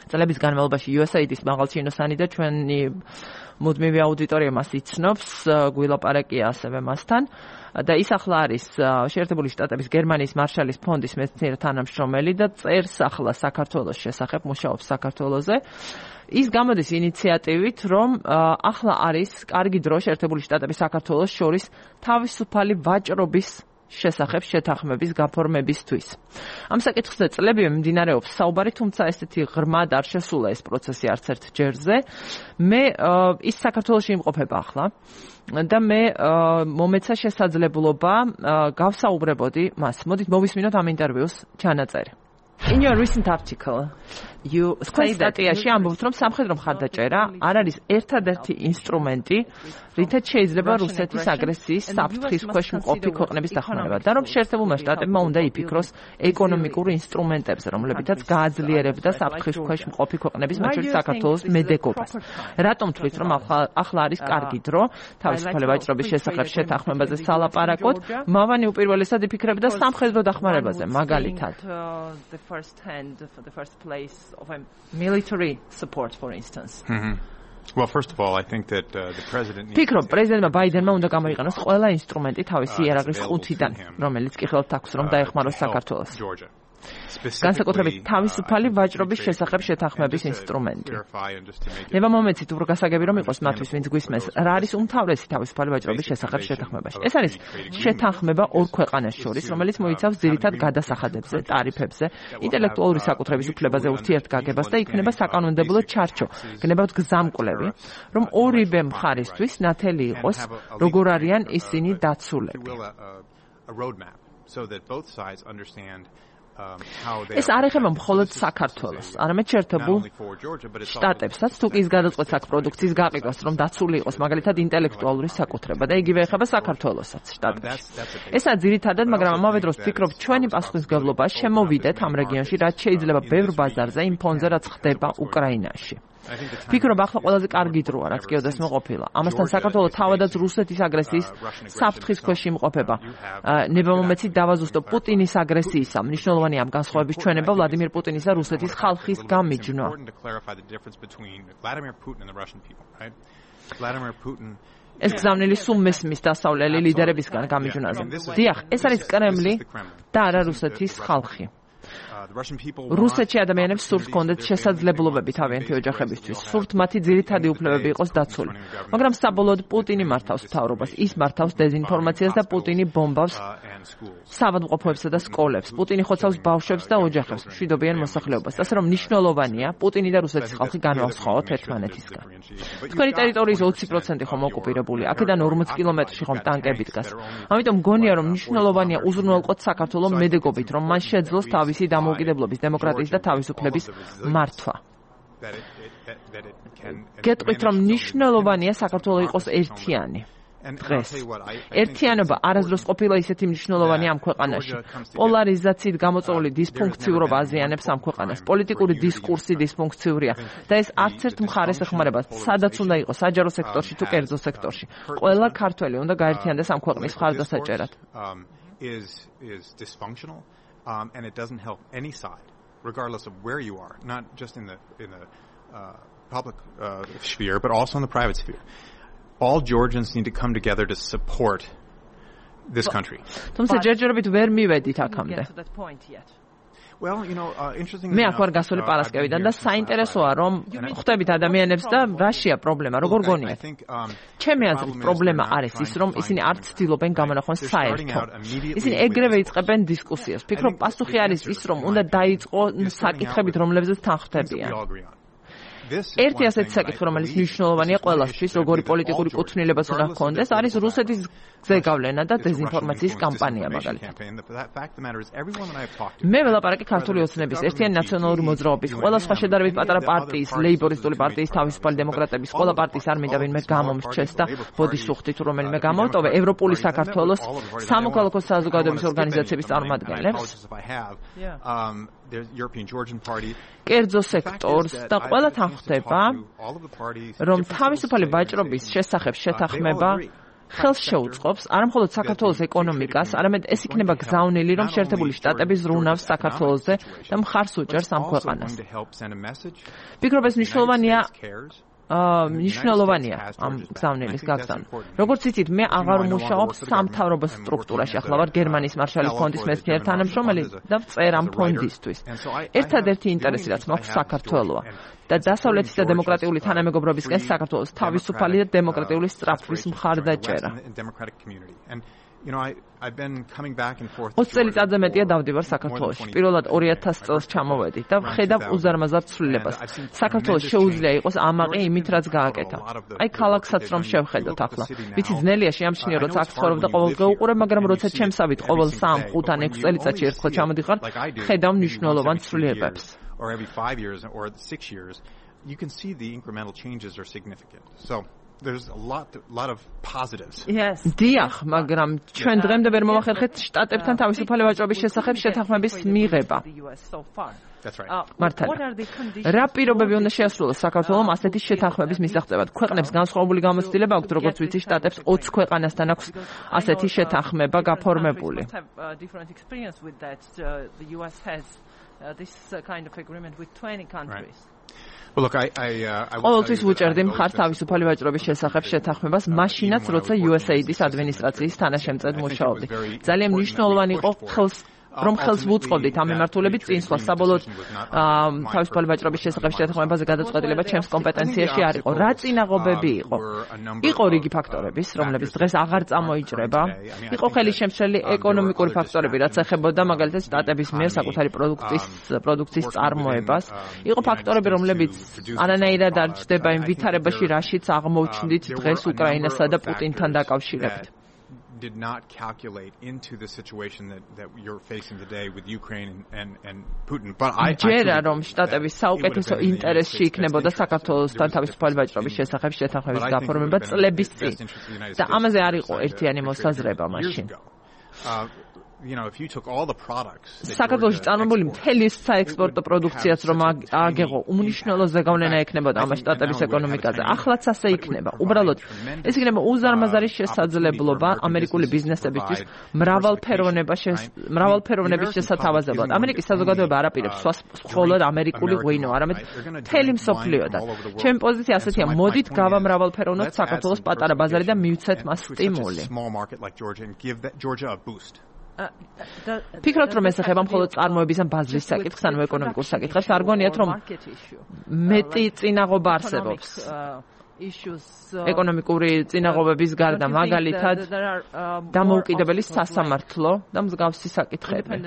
წლების განმავლობაში იუ ეს ეი-ის მაღალჩინოსანი და ჩვენი მუდმივი აუდიტორია მას იცნობს გვილაპარაკია ასევე მასთან და ის ახლა არის შეერთებული შტატების გერმანიის მარშალის ფონდის მეცნიერ თანამშრომელი და წერს ახლა საქართველოს შესახებ მუშაობს საქართველოზე ის გამოდის ინიციატივით რომ ახლა არის კარგი დრო შეერთებული შტატების საქართველოს შორის თავისუფალი ვაჭრობის შესახებ შეთანხმების გაფორმებისთვის. ამ საკითხზე წლებივე მიმდინარეობს საუბარი, თუმცა ესეთი ღრმად არ შესულა ეს პროცესი არც ერთ ჯერზე. მე ის საქართველოში იმყოფება ახლა და მე მომეცა შესაძლებლობა გავსაუბრებოდი მას. მოდით მოვისმინოთ ამ ინტერვიუს ჩანაწერი. In your recent article, you say that სტატიაში ამბობთ, რომ სამხედრო მხარდაჭერა არ არის ერთადერთი ინსტრუმენტი, რითაც შეიძლება რუსეთის აგრესიის საფრთხის ქვეშ მყოფი ქვეყნების დახმარება და რომ შეერთებულმა შტატებმა უნდა იფიქროს ეკონომიკურ ინსტრუმენტებზე, რომლებითაც გააძლიერებდა საფრთხის ქვეშ მყოფი ქვეყნების, მათ შორის საქართველოს მედეგობას. რატომ თვლით, რომ ახლა არის კარგი დრო თავისუფალი ვაჭრობის შესახებ შეთანხმებაზე სალაპარაკოთ? მავანი უპირველესად იფიქრებდა სამხედრო დახმარებაზე, მაგალითად. First hand for the first place of a military support for instance. Mm-hmm. Well, first of all, I think that uh, the president needs Pikro, პრეზიდენტმა ბაიდენმა უნდა გამოიყენოს ყველა ინსტრუმენტი თავისი იარაღის ყუთიდან, რომელიც კი ხელთ აქვს რომ დაეხმაროს საქართველოს. განსაკუთრებით თავისუფალი ვაჭრობის შესახებ შეთანხმების ინსტრუმენტი. ნება მომეცით უფრო გასაგები რომ იყოს მათთვის ვინც გვისმენს, რა არის უმთავრესი თავისუფალი ვაჭრობის შესახებ შეთანხმებაში. ეს არის შეთანხმება ორ ქვეყანას შორის, რომელიც მოიცავს ძირითად გადასახადებებზე, ტარიფებზე, ინტელექტუალური საკუთრების უფლებაზე ურთიერთგაგებას და იქნება საკანონმდებლო ჩარჩო, გნებავთ გზამკვლევი, რომ ორივე მხარისთვის ნათელი იყოს, როგორ არიან ისინი დაცულები. ეს არ ეხება მხოლოდ საქართველოს, არამედ შეერთებულ შტატებსაც, თუ კი ის გადაწყვეტს აქ პროდუქციის გაყიდვას, რომ დაცული იყოს მაგალითად ინტელექტუალური საკუთრება და იგივე ეხება საქართველოსაც შტატებში. ესაა ძირითადად, მაგრამ ამავე დროს ვფიქრობ, ჩვენი პასუხისმგებლობა შემოვიდეთ ამ რეგიონში, რაც შეიძლება ბევრ ბაზარზე, იმ ფონზე, რაც ხდება უკრაინაში. ფიქრობ, ახლა ყველაზე კარგი დროა, რაც კი ოდესმე ყოფილა. ამასთან საქართველო თავადაც რუსეთის აგრესიის საფრთხის ქვეშ იმყოფება. ნებამომეცით დავაზუსტო პუტინის აგრესიისა, მნიშვნელოვანი ამ განსხვავების ჩვენება ვლადიმირ პუტინის და რუსეთის ხალხის გამიჯვნა. ეს გზავნილი სულ მესმის დასავლელი ლიდერებისგან გამიჯვნაზე. დიახ, ეს არის კრემლი და არა რუსეთის ხალხი. რუსეთში ადამიანებს სურთ კონდეთ შესაძლებლობები თავიანთი ოჯახებისთვის, სურთ მათი ძირითადი უფლებები იყოს დაცული. მაგრამ საბოლოოდ პუტინი მართავს მთავრობას, ის მართავს დეзинფორმაციას და პუტინი ბომბავს საავადმყოფოებსა და სკოლებს. პუტინი ხოცავს ბავშვებს და ოჯახებს, მშვიდობიან მოსახლეობას. ასე რომ მნიშვნელოვანია პუტინი და რუსეთის ხალხი განვასხვაოთ ერთმანეთისგან. თქვენი ტერიტორიის ოცი პროცენტი ხომ ოკუპირებული, აქედან ორმოც კილომეტრში ხომ ტანკები დგას. ამიტომ გონია რომ მნიშვნელოვანია უზრუნველყოთ საქართველოს მედეგობით, რომ მან შეძლოს თავისი დამოუკიდებლობის, დემოკრატიის და თავისუფლების მართვა. გეტყვით რომ მნიშვნელოვანია საქართველოს იყოს ერთიანი. დღეს ერთიანობა არასდროს ყოფილა ისეთი მნიშვნელოვანი ამ ქვეყანაში. პოლარიზაციით გამოწვეული დისფუნქციურობა აზიანებს ამ ქვეყანას. პოლიტიკური დისკურსი დისფუნქციურია და ეს არც ერთ მხარეს ეხმარება, სადაც უნდა იყოს საჯარო სექტორში თუ კერძო სექტორში. ყველა ქართველი უნდა გაერთიანდეს ამ ქვეყნის მხარდასაჭერად. is is dysfunctional um, and it doesn't help any side regardless of where you are, not just in the in the uh, public uh, sphere but also in the private sphere. All Georgians need to come together to support this country. თუმცა ჯერჯერობით ვერ მივედით აქამდე. Well, you know, uh, interesting. მე აქ ვარ გასული პარასკევიდან და საინტერესოა რომ ხვდებით ადამიანებს და რაშია პრობლემა, როგორ გონიათ? ჩემი აზრით პრობლემა არის ის, რომ ისინი არ ცდილობენ გამონახონ საერთო. ისინი ეგრევე იწყებენ დისკუსიას. ფიქრობ, პასუხი არის ის, რომ უნდა დაიწყო საკითხებით, რომლებზეც თან ხვდებიან. ერთი ასეთი საკითხი, რომელიც მნიშვნელოვანია ყველასთვის, როგორი პოლიტიკური კუთვნილებაც უნდა ჰქონდეს, არის რუსეთის ზეგავლენა და დეзинფორმაციის კამპანია მაგალითად. მე ველაპარაკი ქართული ოცნების, ერთიანი ნაციონალური მოძრაობის, ყველა სხვა შედარებით პატარა პარტიის, ლეიბორისტული პარტიის, თავისუფალი დემოკრატების, ყველა პარტიის არ მინდა ვინმე გამომრჩეს და ბოდიშუხტი თუ რომელიმე გამოვტოვე, ევროპული საქართველოს სამოქალაქო საზოგადოების ორგანიზაციების წარმომადგენლებს. კერძო სექტორს და ყველა თან ხვდება, რომ თავისუფალი ვაჭრობის შესახებ შეთანხმება ხელს შეუწყობს არა მხოლოდ საქართველოს ეკონომიკას, არამედ ეს იქნება გზავნილი, რომ შეერთებული შტატები ზრუნავს საქართველოსზე და მხარს უჭერს ამ ქვეყანას. ფიქრობ, ეს მნიშვნელოვანია მნიშვნელოვანია ამ გზავნილის გაგზავნა. როგორც იცით, მე აღარ ვმუშაობ სამთავრობო სტრუქტურაში, ახლა ვარ გერმანიის მარშალის ფონდის მეცნიერ თანამშრომელი და წერ ამ ფონდისთვის. ერთადერთი ინტერესი, რაც მაქვს, საქართველოა და დასავლეთის და დემოკრატიული თანამეგობრობისკენ საქართველოს თავისუფალი და დემოკრატიული სწრაფვის მხარდაჭერა. You know, I I've been coming back and forth. ოცი წელიწადზე მეტია დავდივარ საქართველოში. პირველად ორი ათასი წელს ჩამოვედი და ვხედავ უზარმაზარ ცვლილებას. საქართველოს შეუძლია იყოს ამაყი იმით, რაც გააკეთა. აი ქალაქსაც რომ შევხედოთ ახლა. ვიცი ძნელია შეამჩნიო, როცა აქ ცხოვრობ და ყოველდღე უყურებ, მაგრამ როცა ჩემსავით ყოველ სამ, ხუთ ან ექვს წელიწადში ერთხელ ჩამოდიხარ, ხედავ მნიშვნელოვან ცვლილებებს. Or every five years or six years, you can see the incremental changes are significant. So there's a lot lot of positives. Yes. დიახ, მაგრამ ჩვენ დღემდე ვერ მოვახერხეთ შტატებთან თავისუფალი ვაჭრობის შესახებ შეთანხმების მიღება. That's right. მართალია. რა პირობები უნდა შეასრულოს საქართველოს ასეთი შეთანხმების მისაღწევად? ქვეყნებს განსხვავებული გამოცდილება აქვს, როგორც ვიცი, შტატებს ოცი ქვეყანასთან აქვს ასეთი შეთანხმება გაფორმებული. This kind of agreement with twenty countries. Well, look, I I uh, I ყოველთვის ვუჭერდი მხარს თავისუფალი ვაჭრობის შესახებ შეთანხმებას, მაშინაც როცა U S A I D-ის ადმინისტრაციის თანაშემწედ მუშაობდი. ძალიან მნიშვნელოვანი იყო ხელს რომ ხელს ვუწყობდით ამ მიმართულებით წინსვლას. საბოლოოდ თავისუფალი ვაჭრობის შესახებ შეთანხმებაზე გადაწყვეტილება ჩემს კომპეტენციაში არ იყო. რა წინაღობები იყო? იყო რიგი ფაქტორების, რომლებიც დღეს აღარ წამოიჭრება. იყო ხელისშემშლელი ეკონომიკური ფაქტორები, რაც ეხებოდა მაგალითად შტატების მიერ საკუთარი პროდუქტის პროდუქციის წარმოებას. იყო ფაქტორები, რომლებიც არანაირად არ ჩნდება იმ ვითარებაში, რაშიც აღმოჩნდით დღეს უკრაინასა და პუტინთან დაკავშირებით. did not calculate into the situation that that you're facing today with Ukraine and and, and Putin. But I ჯერა რომ შტატების საუკეთესო ინტერესში იქნებოდა საქართველოსთან თავისუფალი ვაჭრობის შესახებ შეთანხმების გაფორმება წლების წინ. და ამაზე არ იყო ერთიანი მოსაზრება მაშინ. You know, if you took all the products საქართველოში წარმოებული მთელი საექსპორტო პროდუქციაც რომ ააგეღო, უმნიშვნელო ზეგავლენა ექნებოდა ამ შტატების ეკონომიკაზე. ახლაც ასე იქნება. უბრალოდ ეს იქნება უზარმაზარი შესაძლებლობა ამერიკული ბიზნესებისთვის მრავალფეროვნება მრავალფეროვნების შესათავაზებლად. ამერიკის საზოგადოება არ აპირებს მხოლოდ ამერიკული ღვინო, არამედ მთელი მსოფლიოდან. ჩემი პოზიცია ასეთია, მოდით გავამრავალფეროვნოთ საქართველოს პატარა ბაზარი და მივცეთ მას სტიმული. ფიქრობთ რომ ეს ეხება მხოლოდ წარმოების ან ბაზრის საკითხს ან ეკონომიკურ საკითხებს არ გონიათ რომ მეტი წინაღობა არსებობს ეკონომიკური წინაღობების გარდა მაგალითად დამოუკიდებელი სასამართლო და მსგავსი საკითხები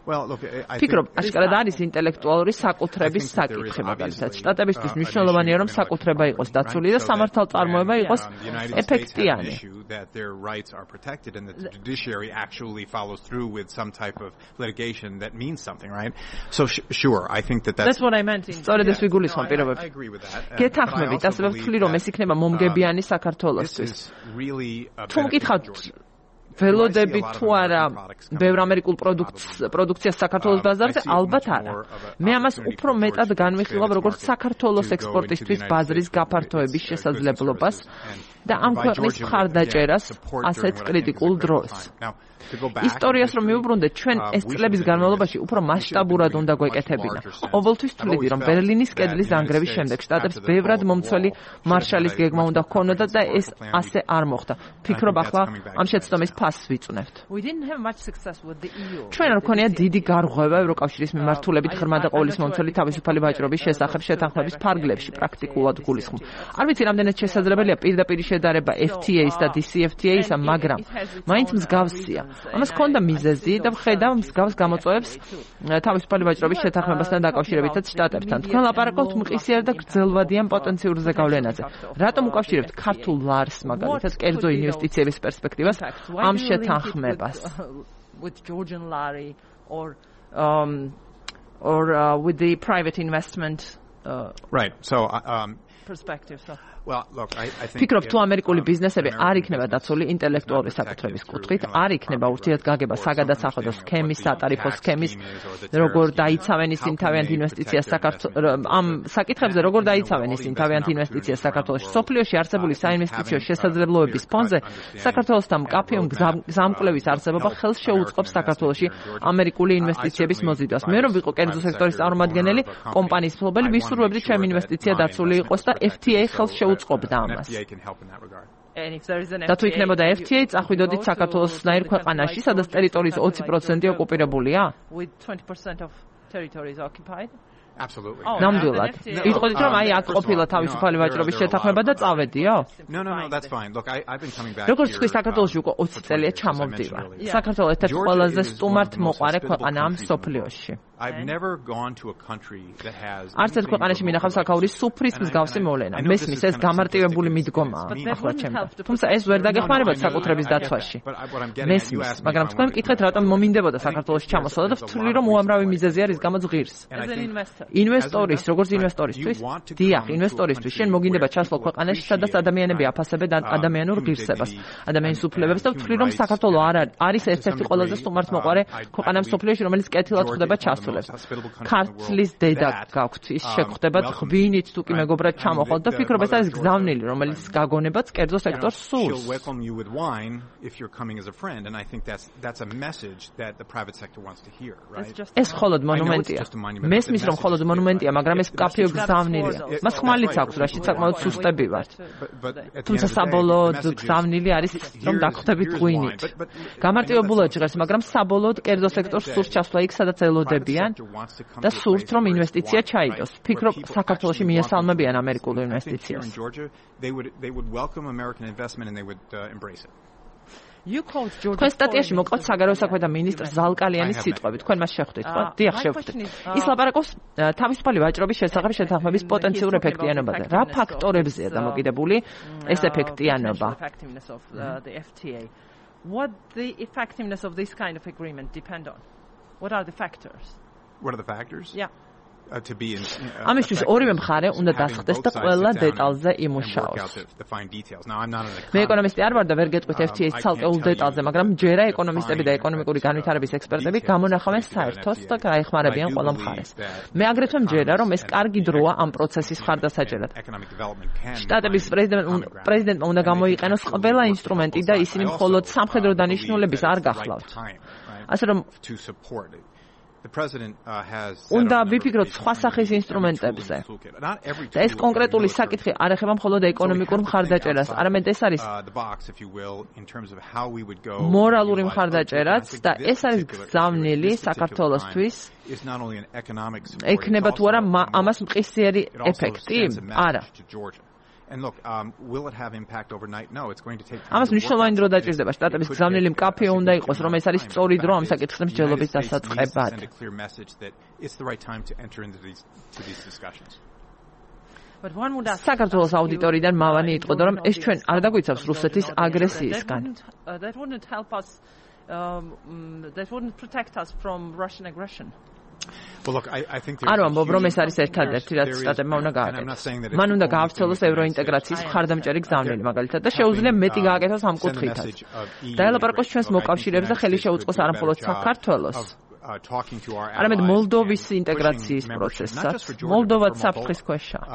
Well, look, I ფიქრობ, აშკარად არის ინტელექტუალური საკუთრების საკითხი მაგალითად. შტატებისთვის მნიშვნელოვანია რომ საკუთრება იყოს დაცული და სამართალწარმოება იყოს ეფექტიანი. That their rights are protected and that the judiciary actually follows through with some type of litigation that means something, right? So sh- sure, I think that that's That's what I meant. სწორედ ეს ვიგულისხმობ პირობებს. I agree with that. გეთანხმებით, ასე ვთვლი რომ ეს იქნება მომგებიანი საქართველოსთვის. თუ მკითხავთ ველოდები თუ არა ბევრ ამერიკულ პროდუქტს პროდუქციას საქართველოს ბაზარზე ალბათ არა. მე ამას უფრო მეტად განვიხილავ როგორც საქართველოს ექსპორტისთვის ბაზრის გაფართოების შესაძლებლობას და ამ ქვეყნის მხარდაჭერას ასეთ კრიტიკულ დროს. ისტორიას რომ მივუბრუნდეთ, ჩვენ ეს წლების განმავლობაში უფრო მასშტაბურად უნდა გვეკეთებინა. ყოველთვის თვლიდი, რომ ბერლინის კედლის დანგრევის შემდეგ შტატებს ბევრად მომცველი მარშალის გეგმა უნდა ჰქონოდათ და ეს ასე არ მოხდა. ფიქრობ ახლა ამ შეცდომის ფასს ვიწვნევთ. ჩვენ არ გვქონია დიდი გარღვევა ევროკავშირის მიმართულებით ღრმა და ყოვლის მომცველი თავისუფალი ვაჭრობის შესახებ შეთანხმების ფარგლებში პრაქტიკულად გულისხმობ. არ ვიცი რამდენად შესაძლებელია პირდაპირ შედარება F T A-ს და D C F T A-ისა, მაგრამ მაინც მსგავსია. ამას ჰქონდა მიზეზი და ვხედავ მსგავს გამოწვევებს თავისუფალი ვაჭრობის შეთანხმებასთან დაკავშირებითაც შტატებთან. თქვენ ლაპარაკობთ მყისიერ და გრძელვადიან პოტენციურ ზეგავლენაზე. რატომ უკავშირებთ ქართულ ლარს მაგალითად კერძო ინვესტიციების პერსპექტივას ამ შეთანხმებას? With Georgian lari or um or uh, with the private investment uh, right. So um perspective. So Well, look, I, I think ფიქრობ თუ ამერიკული ბიზნესები არ იქნება დაცული ინტელექტუალური საკუთრების კუთხით, არ იქნება ურთიერთგაგება საგადასახადო სქემის, სატარიფო სქემის, როგორ დაიცავენ ისინი თავიანთ ინვესტიციას საქართველოს ამ საკითხებზე, როგორ დაიცავენ ისინი თავიანთ ინვესტიციას საქართველოში. სოფლიოში არსებული საინვესტიციო შესაძლებლობების ფონზე საქართველოსთან მკაფიო გზამკვლევის არსებობა ხელს შეუწყობს საქართველოში ამერიკული ინვესტიციების მოზიდვას. მე რომ ვიყო კერძო სექტორის წარმომადგენელი, კომპანიის მფლობელი, ვისურვებდი ჩემი ინვესტიცია დაცული იყოს და F T A ხელს უწყობდა ამას. და თუ იქნებოდა F T A, წახვიდოდით საქართველოსნაირ ქვეყანაში, სადაც ტერიტორიის ოცი პროცენტი ოკუპირებულია? Absolutely. ნამდვილად. იტყოდით რომ აი აქ ყოფილა თავისუფალი ვაჭრობის შეთანხმება და წავედიო? No, no, no, that's fine. Look, I I've been coming back. როგორც თქვი საქართველოში უკვე ოცი წელია ჩამოვდივარ. საქართველო ერთ-ერთი ყველაზე სტუმართ მოყარე ქვეყანაა მსოფლიოში. I've never gone to a country that has არც ერთ ქვეყანაში მინახავს აქაურის სუფრის მსგავსი მოვლენა. მესმის ეს გამარტივებული მიდგომაა ახლა ჩემთან. თუმცა ეს ვერ დაგეხმარებათ საკუთრების დაცვაში. მესმის, მაგრამ თქვენ მკითხეთ რატომ მომინდებოდა საქართველოში ჩამოსვლა და ვთვლი რომ უამრავი მიზეზი არის გამოც ღირს. ინვესტორის, როგორც ინვესტორისთვის, დიახ, ინვესტორისთვის შენ მოგინდება ჩასვლა ქვეყანაში, სადაც ადამიანები აფასებენ ადამიანურ ღირსებას, ადამიანის უფლებებს და ვთვლი რომ საქართველო არ არის ერთ-ერთი ყველაზე სტუმართ მოყარე ქვეყანა მსოფლიოში, რომელიც კეთილად ხვდება ჩასვლას. ქართლის დედა გაქვთ, ის შეგხვდებათ ღვინით თუ კი მეგობრად ჩამოხვალ და ფიქრობ ეს არის გზავნილი, რომელიც გაგონებაც კერძო სექტორს სურს. ეს მხოლოდ მონუმენტია. მესმის რომ მხოლოდ მონუმენტია, მაგრამ ეს მკაფიო გზავნილია. მას ხმალიც აქვს, რაშიც საკმაოდ სუსტები ვართ. თუმცა საბოლოოდ გზავნილი არის რომ დაგხვდებით ღვინით. გამარტივებულად ჟღერს, მაგრამ საბოლოოდ კერძო სექტორს სურს ჩასვლა იქ, სადაც ელოდებიან და სურთ რომ ინვესტიცია ჩაიდოს. ფიქრობ საქართველოში მიესალმებიან ამერიკულ ინვესტიციას. თქვენ სტატიაში მოყავთ საგარეო საქმეთა მინისტრ ზალკალიანის სიტყვები. თქვენ მას შეხვდით, ხო? დიახ, შეხვდით. ის ლაპარაკობს თავისუფალი ვაჭრობის შესახებ შეთანხმების პოტენციურ ეფექტიანობაზე. რა ფაქტორებზეა დამოკიდებული ეს ეფექტიანობა? What the effectiveness of this kind of agreement depend on? What are the factors? What are the factors? Yeah. Uh, to be in uh, ამისთვის ორივე მხარე უნდა დასხდეს და ყველა დეტალზე იმუშაოს. მე ეკონომისტი არ ვარ და ვერ გეტყვით F T A-ს ცალკეულ დეტალზე, მაგრამ ჯერა ეკონომისტები და ეკონომიკური განვითარების ექსპერტები გამონახავენ საერთოს და გაეხმარებიან ყველა მხარეს. მე აგრეთვე მჯერა, რომ ეს კარგი დროა ამ პროცესის მხარდასაჭერად. შტატების პრეზიდენტმა უნდა გამოიყენოს ყველა ინსტრუმენტი და ისინი მხოლოდ სამხედრო დანიშნულების არ გახლავთ. ასე რომ The president uh, has უნდა ვიფიქროთ სხვა სახის ინსტრუმენტებზე. და ეს კონკრეტული საკითხი არ ეხება მხოლოდ ეკონომიკურ მხარდაჭერას, არამედ ეს არის მორალური მხარდაჭერაც და ეს არის გზავნილი საქართველოსთვის. ექნება თუ არა ამას მყისიერი ეფექტი? არა. And look, um, will it have impact overnight? No, it's going to take time. ამას მნიშვნელოვანი დრო დაჭირდება. შტატების გზავნილი მკაფიო უნდა იყოს, რომ ეს არის სწორი დრო ამ საკითხის მსჯელობის დასაწყებად. It's the right time to enter into these to these discussions. But one would ask საქართველოს აუდიტორიდან მავანი იტყოდა, რომ ეს ჩვენ არ დაგვიცავს რუსეთის აგრესიისგან. That wouldn't help us um, that wouldn't protect us from Russian aggression. Well, look, I, I think არ ვამბობ, რომ ეს არის ერთადერთი, რაც შტატებმა უნდა გააკეთოს. მან უნდა გაავრცელოს ევროინტეგრაციის მხარდამჭერი გზავნილი, მაგალითად, და შეუძლია მეტი გააკეთოს ამ კუთხითაც. დაელაპარაკოს ჩვენს მოკავშირეებს და ხელი შეუწყოს არამხოლოდ საქართველოს, არამედ მოლდოვის ინტეგრაციის პროცესსაც. მოლდოვაც საფრთხის ქვეშაა.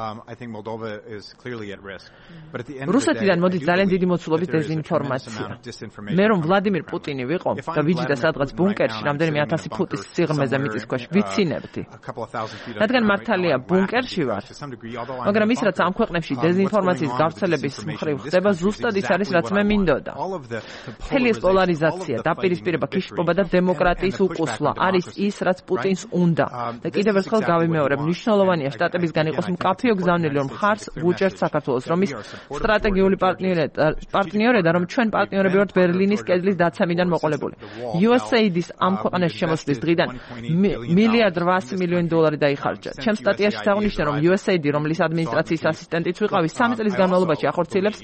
რუსეთიდან მოდის ძალიან დიდი მოცულობის დეზინფორმაცია. მე რომ ვლადიმირ პუტინი ვიყო და ვიჯდა სადღაც ბუნკერში რამდენიმე ათასი ფუტის სიღრმეზე მიწისქვეშ ვიცინებდი. რადგან მართალია ბუნკერში ვარ, მაგრამ ის რაც ამ ქვეყნებში დეზინფორმაციის გავრცელების მხრივ ხდება, ზუსტად ის არის რაც მე მინდოდა. მთელი ეს პოლარიზაცია, დაპირისპირება, ქიშპობა და დემოკრატიის უყუსვლა არის ის, რაც პუტინს უნდა. და კიდევ ერთხელ გავიმეორებ, მნიშვნელოვანია შტატებისგან იყოს მკაფიო გზავნილი, რომ ხარს ვუჭერთ საქართველოს, რომ ის სტრატეგიული პარტნიორია, რომ ჩვენ პარტნიორები ვართ ბერლინის კედლის დაცემიდან მოყოლებული. U S A I-დის ამ ქვეყანაში შემოსვლის დღიდან მილიარდ რვასი მილიონი დოლარი დაიხარჯა. ჩემ სტატიაში წაღვნიშნე, რომ U S A I D, რომლის ადმინისტრაციის ასისტენტიც ვიყავი, სამი წლის განმავლობაში ახორციელებს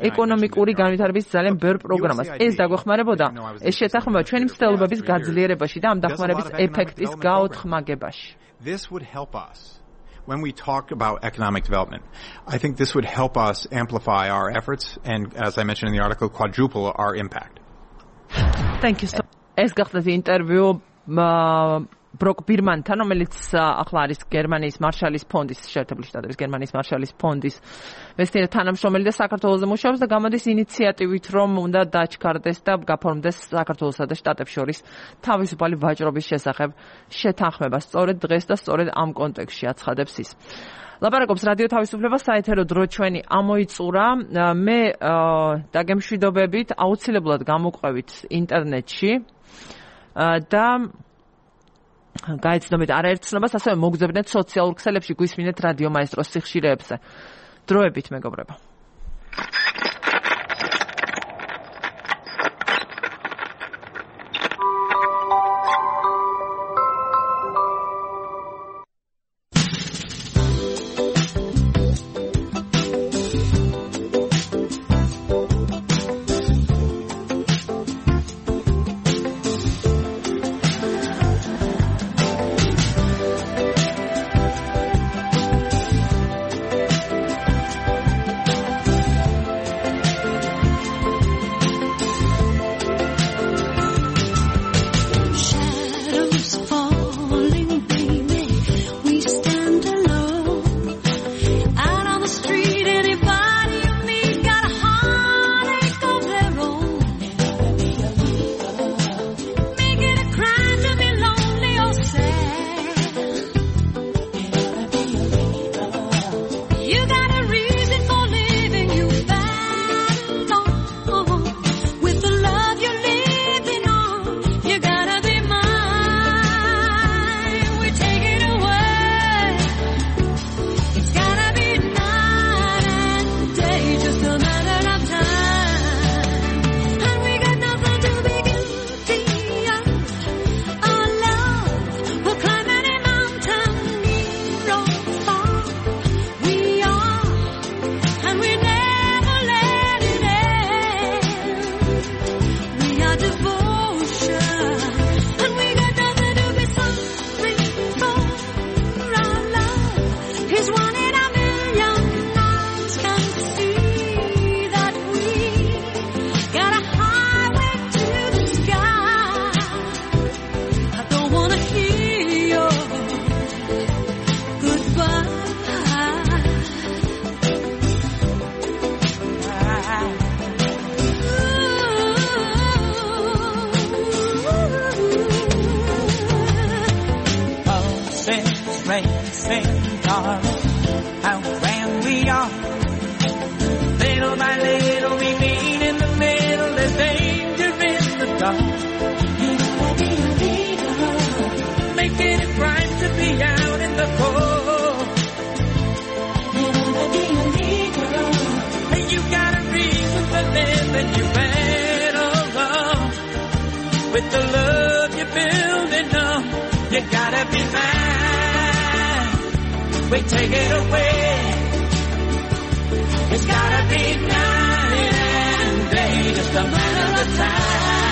ეკონომიკური განვითარების ძალიან ბევრ პროგრამას. ეს დაგვეხმარებოდა, ეს შეთანხმება ჩვენი მცდელობების გაძლიერებაში და ამ დახმარების ეფექტის გაოთხმაგებაში. This would help us when we talk about economic development. I think this would help us amplify our efforts and, as I mentioned in the article, quadruple our impact. Thank you so much. ეს გახდათ ინტერვიუ ბროკ ბირმანთან, რომელიც ახლა არის გერმანიის მარშალის ფონდის, შეერთებული შტატების გერმანიის მარშალის ფონდის მეცნიერი თანამშრომელი და საქართველოსზე მუშაობს და გამოდის ინიციატივით, რომ უნდა დაჩქარდეს და გაფორმდეს საქართველოსა და შტატებს შორის თავისუფალი ვაჭრობის შესახებ შეთანხმება. სწორედ დღეს და სწორედ ამ კონტექსტში აცხადებს ის. ლაპარაკობს რადიო თავისუფლება, საეთერო დრო ჩვენი ამოიწურა. მე დაგემშვიდობებით, აუცილებლად გამოყვებით ინტერნეტში და გაეცნობეთ არაერთ ცნობას, ასევე მოგზავნეთ სოციალურ ქსელებში, გვისმინეთ რადიო მაესტროს სიხშირეებზე. დროებით, მეგობრებო. darling, how grand we are. Little by little we meet in the middle, there's danger in the dark. Making it right to be out in the cold. Hey, you got a reason for living, you better run. With the love you're building up, you gotta be mine. We take it away. It's gotta be night and day, just a matter of time.